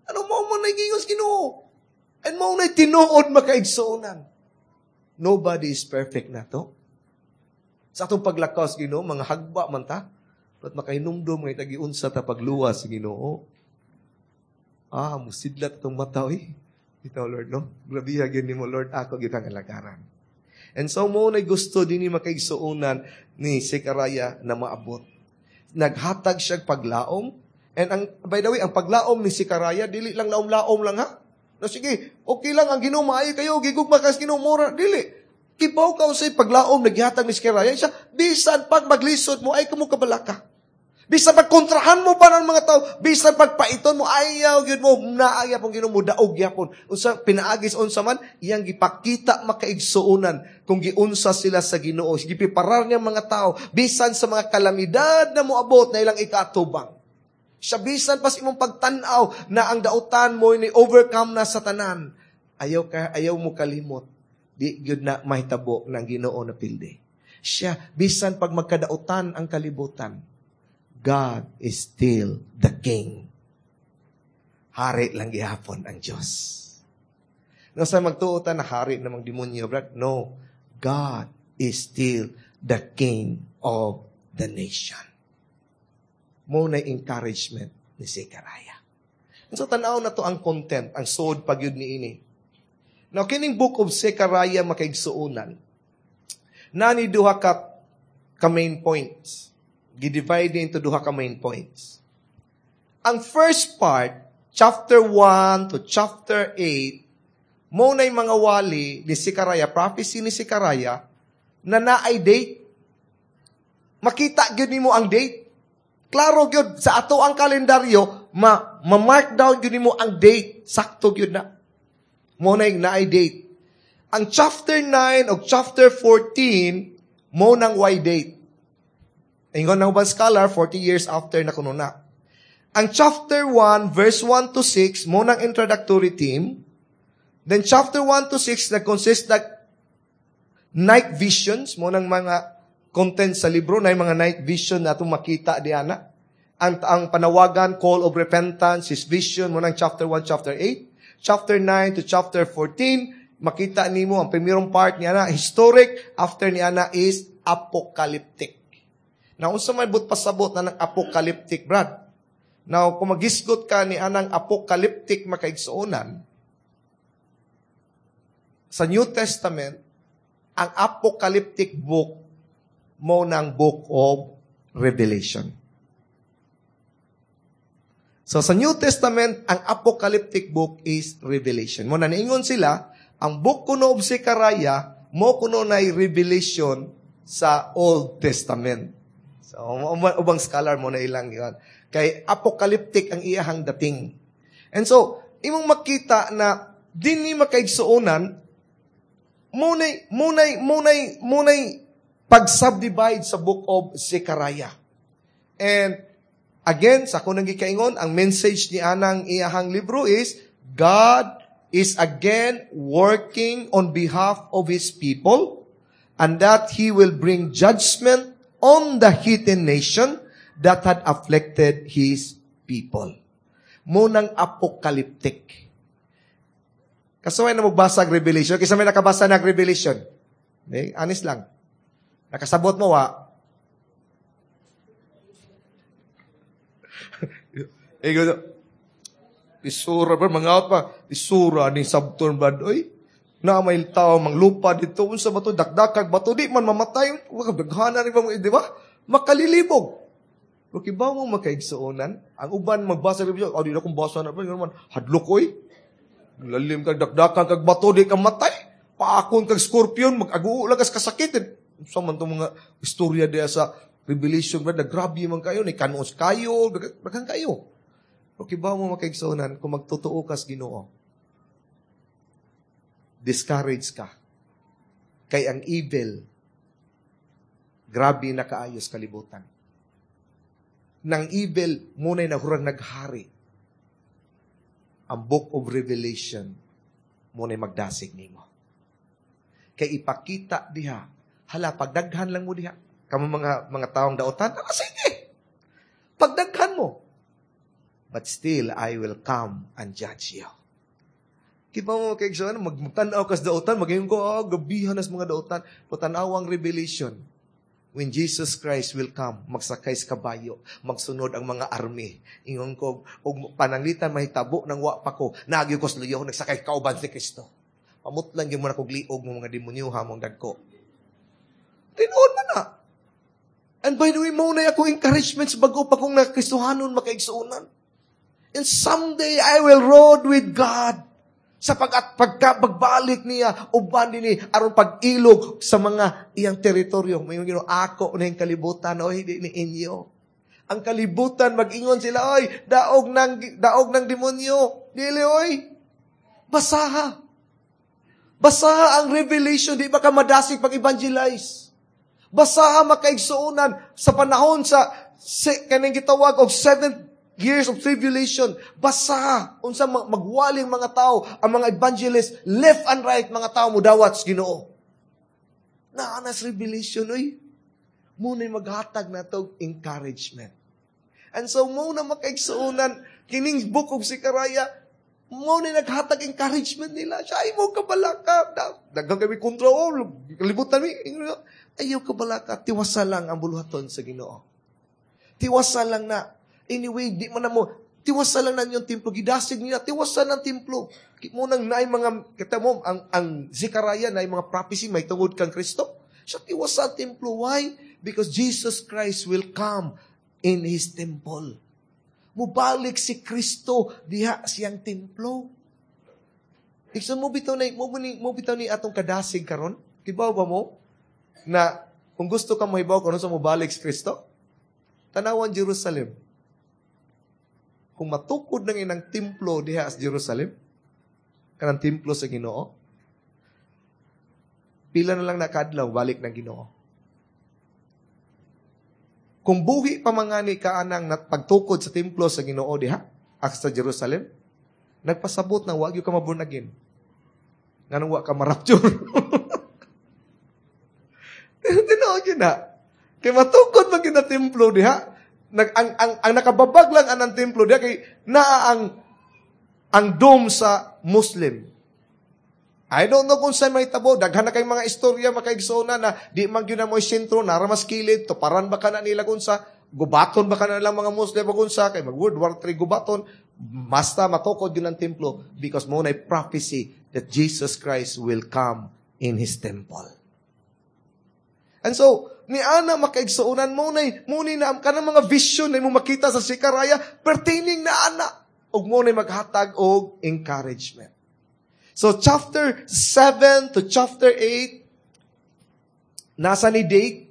A: Ano mo mo na gingos Ginoo? And mao na tinuod, makaigsuonan. Nobody is perfect na to. Sa atong paglakaw sa Ginoo, mga hagba man ta. But makahinumdum nga itagiunsa ta pagluwas sa Ginoo. Musidlat atong mata, oy. Ito, Lord, no? Grabe gyud nimo, Lord, ako gyud kang alagaran. And so mo na gusto dinhi, makaigsuonan, ni Zechariah na maabot. Naghatag siya paglaom. And ang, by the way, ang paglaom ni Zechariah, dili lang laom-laom lang ha. No, sige, okay lang ang Ginoo, maayo kayo, gigugma ka sa Ginoo, mura, dili. Kibaw ka sa paglaom naghatag ni Zechariah, siya, bisan pag maglisod mo, ayaw mo kabalaka. Bisan pagkontrahan mo pa ng mga tao, bisan pagpaiton mo, ayaw gyud mo, naaya pong Ginoo mo, daog gyapon. Unsa pinaagis unsa man, iyang gipakita, makaigsuonan, kung giunsa sila sa Ginoo. Gipreparar niya mga tao, bisan sa mga kalamidad na moabot na ilang ikaatubang. Siya, bisan pas imong pagtan-aw na ang dautan mo ni overcome na sa tanan, ayaw mo kalimot. Di gyud na mahitabo ng Ginoo na pildi. Siya, bisan pag magkadautan ang kalibutan, God is still the King. Hari lang gihapon ang Diyos. No, sa magtuotan na hari namang demonyo, brad, no. God is still the King of the nation. Mo na encouragement ni Zechariah. And so tan-aw na to ang content, ang suod pagyud niini. Now, kining Book of Zechariah, makaigsuonan, nani duha ka main points. Gi-divide into duha ka main points. Ang first part, chapter 1 to chapter 8, mo na'y mga wali ni Zechariah, prophecy ni Zechariah, na naay date. Makita gyud nimo ang date. Klaro gyud sa ato ang kalendaryo, ma-mark down gyud nimo ang date. Sakto gyud na. Mo na'y naay date. Ang chapter 9 o chapter 14, mo nang way date. Ingon ng ubang scholar, 40 years after na kuno na. Ang chapter 1, verse 1 to 6, mo nang introductory theme. Then chapter 1 to 6, nag-consist nag night visions, mo nang mga content sa libro, na yung mga night vision na itong makita di ana. Ang panawagan, call of repentance, his vision, mo nang chapter 1, chapter 8. Chapter 9 to chapter 14, makita nimo ang primerong part niya na historic, after niya na is apocalyptic. Now, unsa may but pasabot na ng apocalyptic, Brad? Now, kung magisgot ka ni anang apocalyptic, makaigsuonan, sa New Testament, ang apocalyptic book mo ng Book of Revelation. So sa New Testament, ang apocalyptic book is Revelation. Mo na niingon sila, ang book kuno of Zechariah, mo kuno na revelation sa Old Testament. So ubang scholar mo na ilang yun. Kay apocalyptic ang iyahang dating. And so, imong makita na dinhi, makaigsuonan, munay pag-subdivide sa Book of Zechariah. And again, sa akong gikaingon, ang message ni anang iyahang libro is, God is again working on behalf of His people and that He will bring judgment on the heathen nation that had afflicted His people. Munang apocalyptic. Kasuway na magbasa ang Revelation. Kisa may nakabasa ng Revelation. Okay? Honest lang. Nakasabot mo, wa? Eh, gano, isura ba, mga out pa, isura ni sabton ba, oy, na may tao manglupa dito, unsa ba to, dakdakag bato, di man mamatay, daghanan ni ba, di ba? Makalilibog. Pero kibaw mo, makaigsuonan, ang uban magbasa ng Revelation, oh, di na kong basa na, man, hadlok, oy. Lalim kag dakdakan kag bato, di ka matay. Paakon kag scorpion, mag-aguo lang kas kasakit. Unsa man tong mga istorya diya sa Revelation, ba, nagrabe man kayo, ni kanos kayo, daghan kayo. Pero kibaw mo, makaigsuonan, kung magtotoo kas Ginoo, discourage ka. Kay ang evil, grabe na kaayos kalibutan. Nang evil, muna'y nahurang naghari. Ang Book of Revelation, muna'y magdasig nimo. Kay ipakita diha, hala, pagdaghan lang mo diha. Kamo mga taong daotan, ah, sige, pagdaghan mo. But still, I will come and judge you. Kiba mo, kay John, magtanaw kas daotan, magayon ko, oh, gabihan nas mga daotan. Patanaw ang Revelation. When Jesus Christ will come, magsakay sa kabayo, magsunod ang mga army. Ingon ko, og pananglitan mahitabo nang wa pa ko, naagyo ko sa luyo, nagsakay kauban si Kristo. Pamutlan gyud mo na kog liog mo mga demonyo ha mong dagko. Tinuod man na. And by the way, mo na akong encouragement sa bago pa kong nakristohanon makaigsuonan. And someday I will rode with God. Sa pag at pagka pagbalik niya, uban din ni aron pag-ilog sa mga iyang teritoryo. May Ginoo, ako na yung kalibutan, o hindi ni inyo. Ang kalibutan, mag-ingon sila, oy, daog ng demonyo. Dili, oy. Basaha. Basaha ang Revelation, di ba ka madasig pag-evangelize? Basaha, makaigsuonan, sa panahon sa kaning gitawag og 7 years of tribulation. Basaha unsa magwaling mga tao, ang mga evangelist, left and right, mga tao mo dawat sa Ginoo. Naanas Revelation, oy. Muna'y maghatag na to encouragement. And so, mo na makaigsuonan, kining Book of Zechariah, mo na naghatag encouragement nila. Siya, ay mo kabalaka. Daghang kami kontra, oh, kalibutan mi. Ayaw kabalaka, tiwasa lang ang buluhaton sa Ginoo. Tiwasa lang na. Anyway, di man na mo, Tiwasan lang na yung templo. Gidasig niya, tiwasan ng templo. Mo nang naay mga, kita mo, ang Zechariah na mga prophecy may tungod kang Kristo. Siya tiwasan templo. Why? Because Jesus Christ will come in His temple. Mubalik si Kristo diha siyang templo. Iksan mo bitaw na mo bitaw ni atong kadasig karon? Kibaw ba mo na kung gusto ka mohibaw kung sa mobalik si Kristo? Tanawan Jerusalem. Kung matukod nang inang templo diha sa Jerusalem, kanang templo sa Ginoo, pila na lang nakadlaw balik ng Ginoo. Kung buhi pa mangani ka anang pagtukod sa templo sa Ginoo diha sa Jerusalem, nagpasabot na wag ka ma-born again. Nganong wa ka ma-rapture? Tinuod yun na. Kay matukod man gyud na templo diha. Nag, ang nakababag lang anang templo diha kay naa ang dome sa Muslim. I don't know kung saan may tabo. Daghan na kay mga istorya makaigsoona na di man gyud na mo sentro, nara mas kilid, tuparan ba ka na nila kung sa gubaton ba ka na lang mga Muslim kung sa kay mag World War III gubaton, basta matukod yun ang templo because mo na prophecy that Jesus Christ will come in His temple. And so, ni ana makaigsuonan mo na kanang mga vision na mo makita sa Zechariah pertaining na ana ug mo na maghatag og encouragement. So chapter 7 to chapter 8 nasa ni date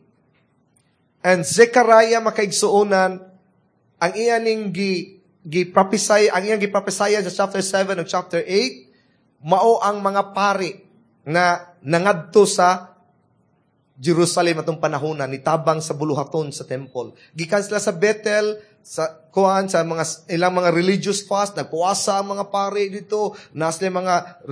A: and Zechariah makaigsuonan ang iya ning gi gi prophesy, ang iyang gi-prophesy sa chapter 7 ug chapter 8 mao ang mga pari na nangadto sa Jerusalem atong panahon na nitabang sa buluhaton sa temple. Gikan sila sa Bethel, sa kuan sa mga ilang mga religious fast, nagpuasa ang mga pare dito, na sila mga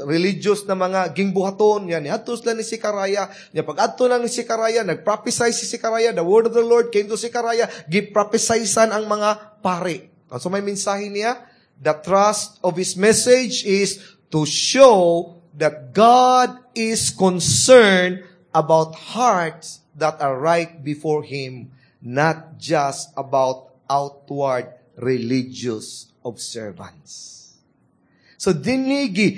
A: religious na mga gingbuhaton yan. Niadto sila ni Zechariah. Nya pag adto lang ni Zechariah, nagprophesy si Zechariah, the word of the Lord came to Zechariah, giprophesy-san ang mga pare. So may mensahe niya, the thrust of his message is to show that God is concerned about hearts that are right before Him, not just about outward religious observance. So dinhi gi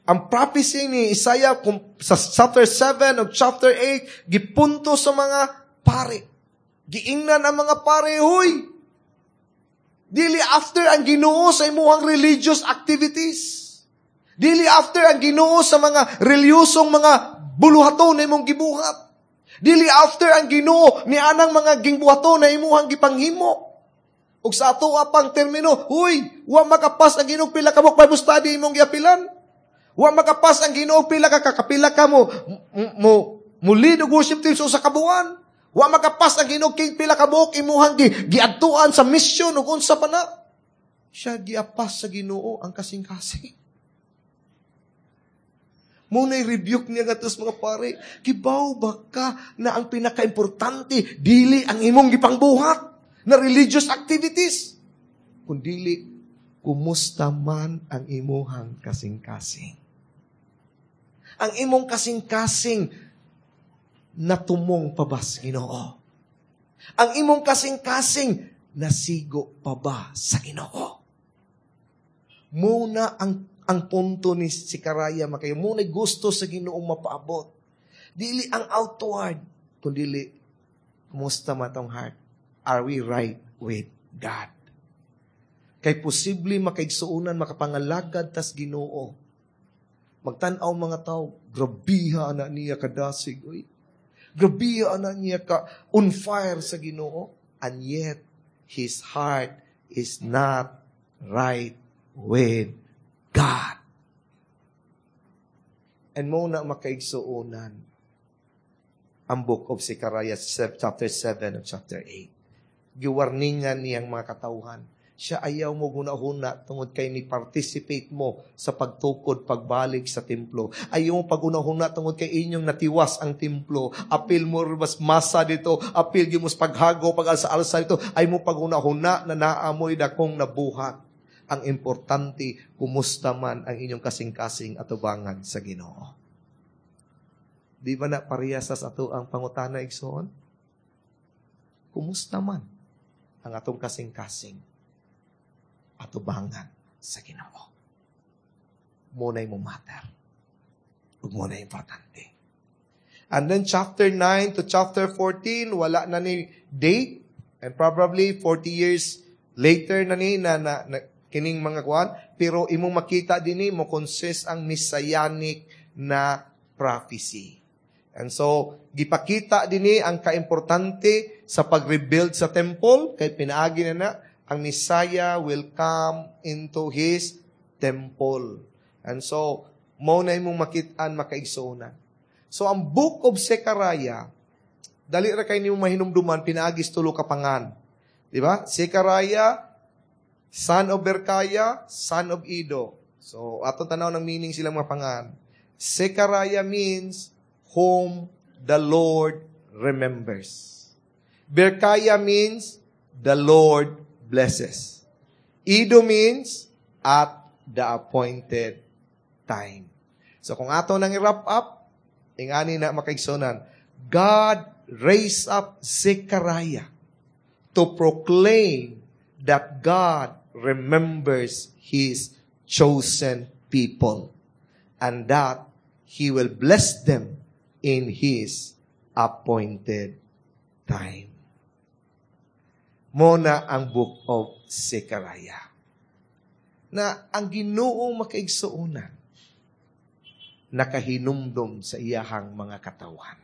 A: ang prophecy ni Isaiah kung, sa chapter 7 o chapter 8 gipunto sa mga pare. Giingnan ang mga pare, huy! Dili after ang Ginoo sa imuhang religious activities. Dili after ang Ginoo sa mga reliyosong mga buluhaton na imong gibuhat. Dili after ang Ginoo ni anang mga gingbuhaton na imuhang gipanghimo. Ug sa ato pang termino, huy, wa makapas ang Ginoo pila ka Bible study imong giapilan. Wa makapas ang Ginoo pila ka kakapila ka mo lead og worship team sa usa ka buwan. Wa makapas ang Ginoo king pila ka buok imuhang giadtuan sa mission ug unsa pa na. Siya giapas sa Ginoo ang kasing-kasing. Muna'y rebuke niya nga mga pare, kibaw ba ka na ang pinakaimportante, dili ang imong gipangbuhat na religious activities, kundili, kumusta man ang imuhang kasing-kasing. Ang imong kasing-kasing natumong pa ba sa Ginoo? Ang imong kasing-kasing nasigo pa ba sa Ginoo? Muna ang punto ni Zechariah makayo, muna gusto sa Ginoong mapaabot. Dili ang outward, kundili, kumusta man tong heart? Are we right with God? Kay posible makaigsuonan, makapangalagad tas Ginoo. Magtan-aw mga tao, grabiha na niya kadasig. Uy. Grabiha na niya ka on fire sa Ginoo. And yet, his heart is not right with God. And mo na makaigsuonan ang book of Zechariah chapter 7 and chapter 8. Giwarningan niyang mga katawhan. Siya ayaw mo gunahuna tungod kay ni participate mo sa pagtukod pagbalik sa templo. Ayaw mo pagunahuna tungod kay inyong natiwas ang templo. Apil mo mas masa dito, apil gyud mo sa paghago, pag-alsa-alsa dito. Ayaw mo pagunahuna na naamoy dakong nabuhat. Ang importante, kumusta man ang inyong kasing-kasing atubangan sa Ginoo. Di ba na parehas sa ato ang pangutana, igsoon? Kumusta man ang atong kasing-kasing? atubangan sa Ginoo. Mao na'y mo matter. Ug mao na'y importante. And then chapter 9 to chapter 14, wala na ni date. And probably 40 years later na ni na kining mga kuan, pero imong makita dinhi mo consist ang messianic na prophecy. And so, gipakita dinhi ang kaimportante sa pag-rebuild sa temple, kay pinaagi na na, ang Messiah will come into His temple. And so, mao na imong makitaan, makaigsuonan. So, ang Book of Zechariah, dali ra kay nimo mahinumduman, pinaagi sa tulo ka pangan. Di ba? Zechariah, son of Berkaya, son of Ido. So, atong tanaw ng meaning silang mga pangan. Zechariah means whom the Lord remembers. Berkaya means the Lord blesses. Ido means at the appointed time. So kung ato nang i-wrap up, ingani na, makaigsuonan, God raised up Zechariah to proclaim that God remembers His chosen people and that He will bless them in His appointed time. Mao na ang Book of Zechariah. Na ang Ginoo, makaigsuonan, nakahinumdom sa iyahang mga katawhan.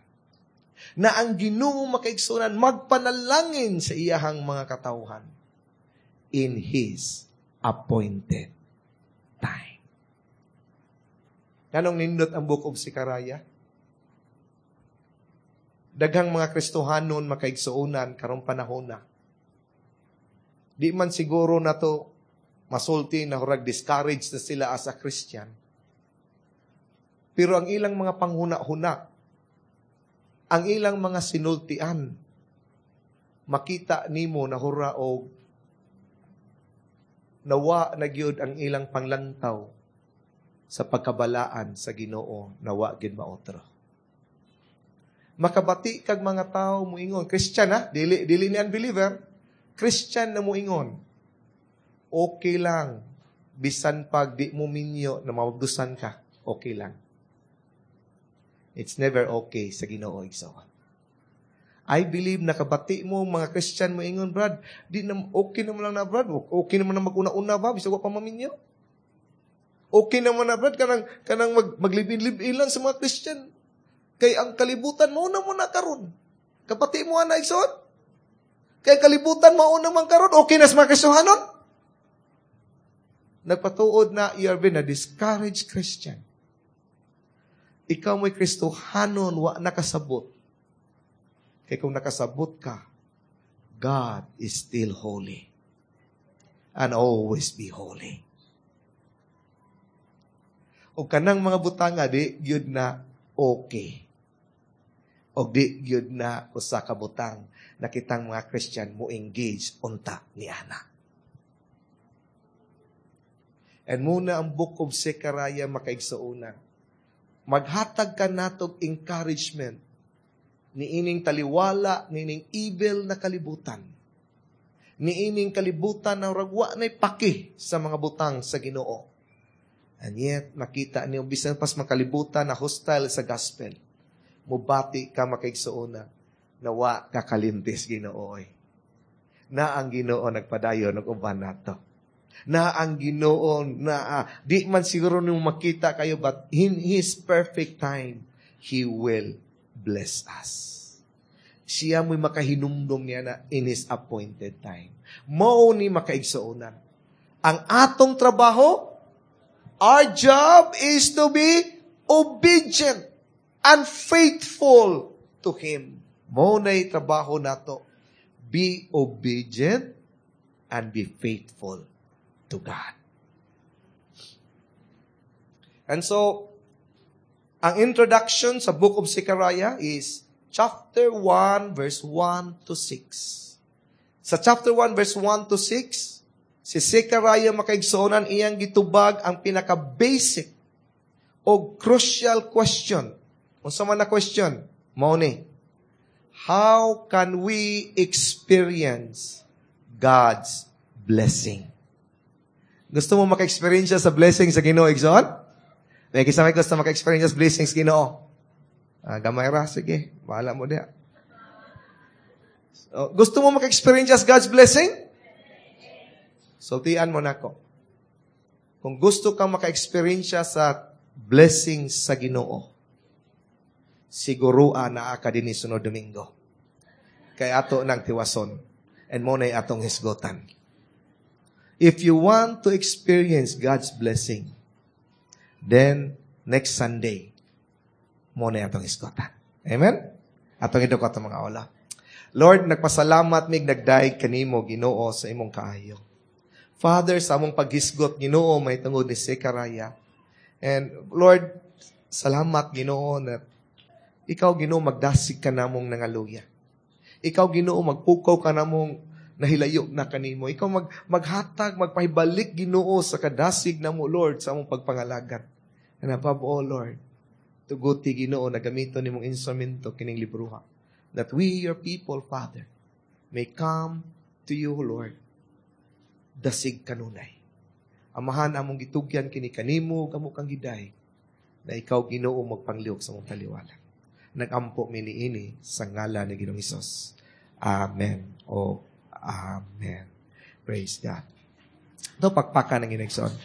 A: Na ang Ginoo, makaigsuonan, magpanalangin sa iyahang mga katawhan in His appointed time. Nganong nindot ang Book of Zechariah? Daghang mga Kristohanon, makaigsuonan, karong panahon na. Di man siguro na to masulti na hurag discouraged na sila as a Christian. Pero ang ilang mga panghuna-huna, ang ilang mga sinultian, makita nimo na hura og nawa na gyud ang ilang panglantaw sa pagkabalaan sa Ginoo, nawa gyud maotro. Makabati kag mga tao muingon, Christian ha, dili dili ni unbeliever, Christian na muingon, "Okay lang bisan pag di mo minyo na mabdusan ka, okay lang." It's never okay sa Ginoo, igsoon. I believe nakabati mo mga Christian mo ingon, "Brad, di na okay naman lang na, brad. Okay naman na maguna-una ba bisag wa pa maminyo. Okay naman na, brad, kanang kanang maglibin-libin lang sa mga Christian. Kay ang kalibutan mao na mo na karon." Kabati mo ana, igsoon? Kay kalibutan mao na man karon, okay na sa mga Kristohanon. Nagpatuod na you are been a discouraged Christian. Ikaw mo'y Kristohanon, wa nakasabot. Kay kung nakasabot ka, God is still holy. And always be holy. O kanang mga butanga, di gyud na okay. O di gyud na usa ka butang na kitang mga Christian mo engage unta ni ana. And mao na ang Book of Zechariah, makaigsuonan. Maghatag ka natog encouragement niining taliwala, niining evil na kalibutan. Niining kalibutan na ragwa na'y paki sa mga butang sa Ginoo. And yet, makita niyo, bisan pas makalibutan na hostile sa gospel, mubati ka, makaigsuonan, na wa kakalintis Ginoo. Na ang Ginoo nagpadayon og uban nato. Na ang Ginoo na di man siguro nimo makita kayo, but in His perfect time He will bless us. Siya mo'y makahinumdum niya na in His appointed time. Mao ni, makaigsuonan. Ang atong trabaho, our job is to be obedient and faithful to Him. Mao na'y trabaho nato. Be obedient and be faithful to God. And so, ang introduction sa Book of Zechariah is chapter 1, verse 1 to 6. Sa chapter 1, verse 1 to 6, si Zechariah, makaigsuonan, iyang gitubag ang pinaka-basic o crucial question. Unsa man na question? Mao ni, how can we experience God's blessing? Gusto mo maka-experience sa blessing sa Ginoo, igsoon? May kinsa may gusto maka-experience sa blessings sa Ginoo? Ah, gamay ra, sige. Bahala mo diha. So, gusto mo maka-experience sa God's blessing? Sultian mo nako. Kung gusto kang maka-experience sa blessing sa Ginoo, siguro naa ka dinhi sunod Domingo. Kay ato nang tiwason and mao na'y atong hisgotan. If you want to experience God's blessing, then next Sunday, mao na'y atong hisgotan. Amen? Atong idukot ang mga ulo. Lord, nagpasalamat mig nagdayeg kanimo, Ginoo, sa imong kaayo. Father, sa among paghisgot, Ginoo, mahitungod ni Zechariah. And Lord, salamat, Ginoo, na ikaw, Ginoo, magdasig ka namong nangaluya. Ikaw, Ginoo, magpukaw ka namong nahilayo na kanimo. Ikaw maghatag, magpahibalik, Ginoo, sa kadasig namo, Lord, sa among pagpangalagad. And above all, Lord, tuguti, Ginoo, na gamiton nimong instrumento kining libroha. That we, your people, Father, may come to you, Lord, dasig kanunay. Amahan, among gitugyan kini kanimo, amo kang giday, na ikaw, Ginoo, magpanglihok sa among taliwala. Nagampo mi niini sa ngalan ni Ginoong Hesus. Amen. O Amen. Praise God. Ito, pakpakan ang Ginoong.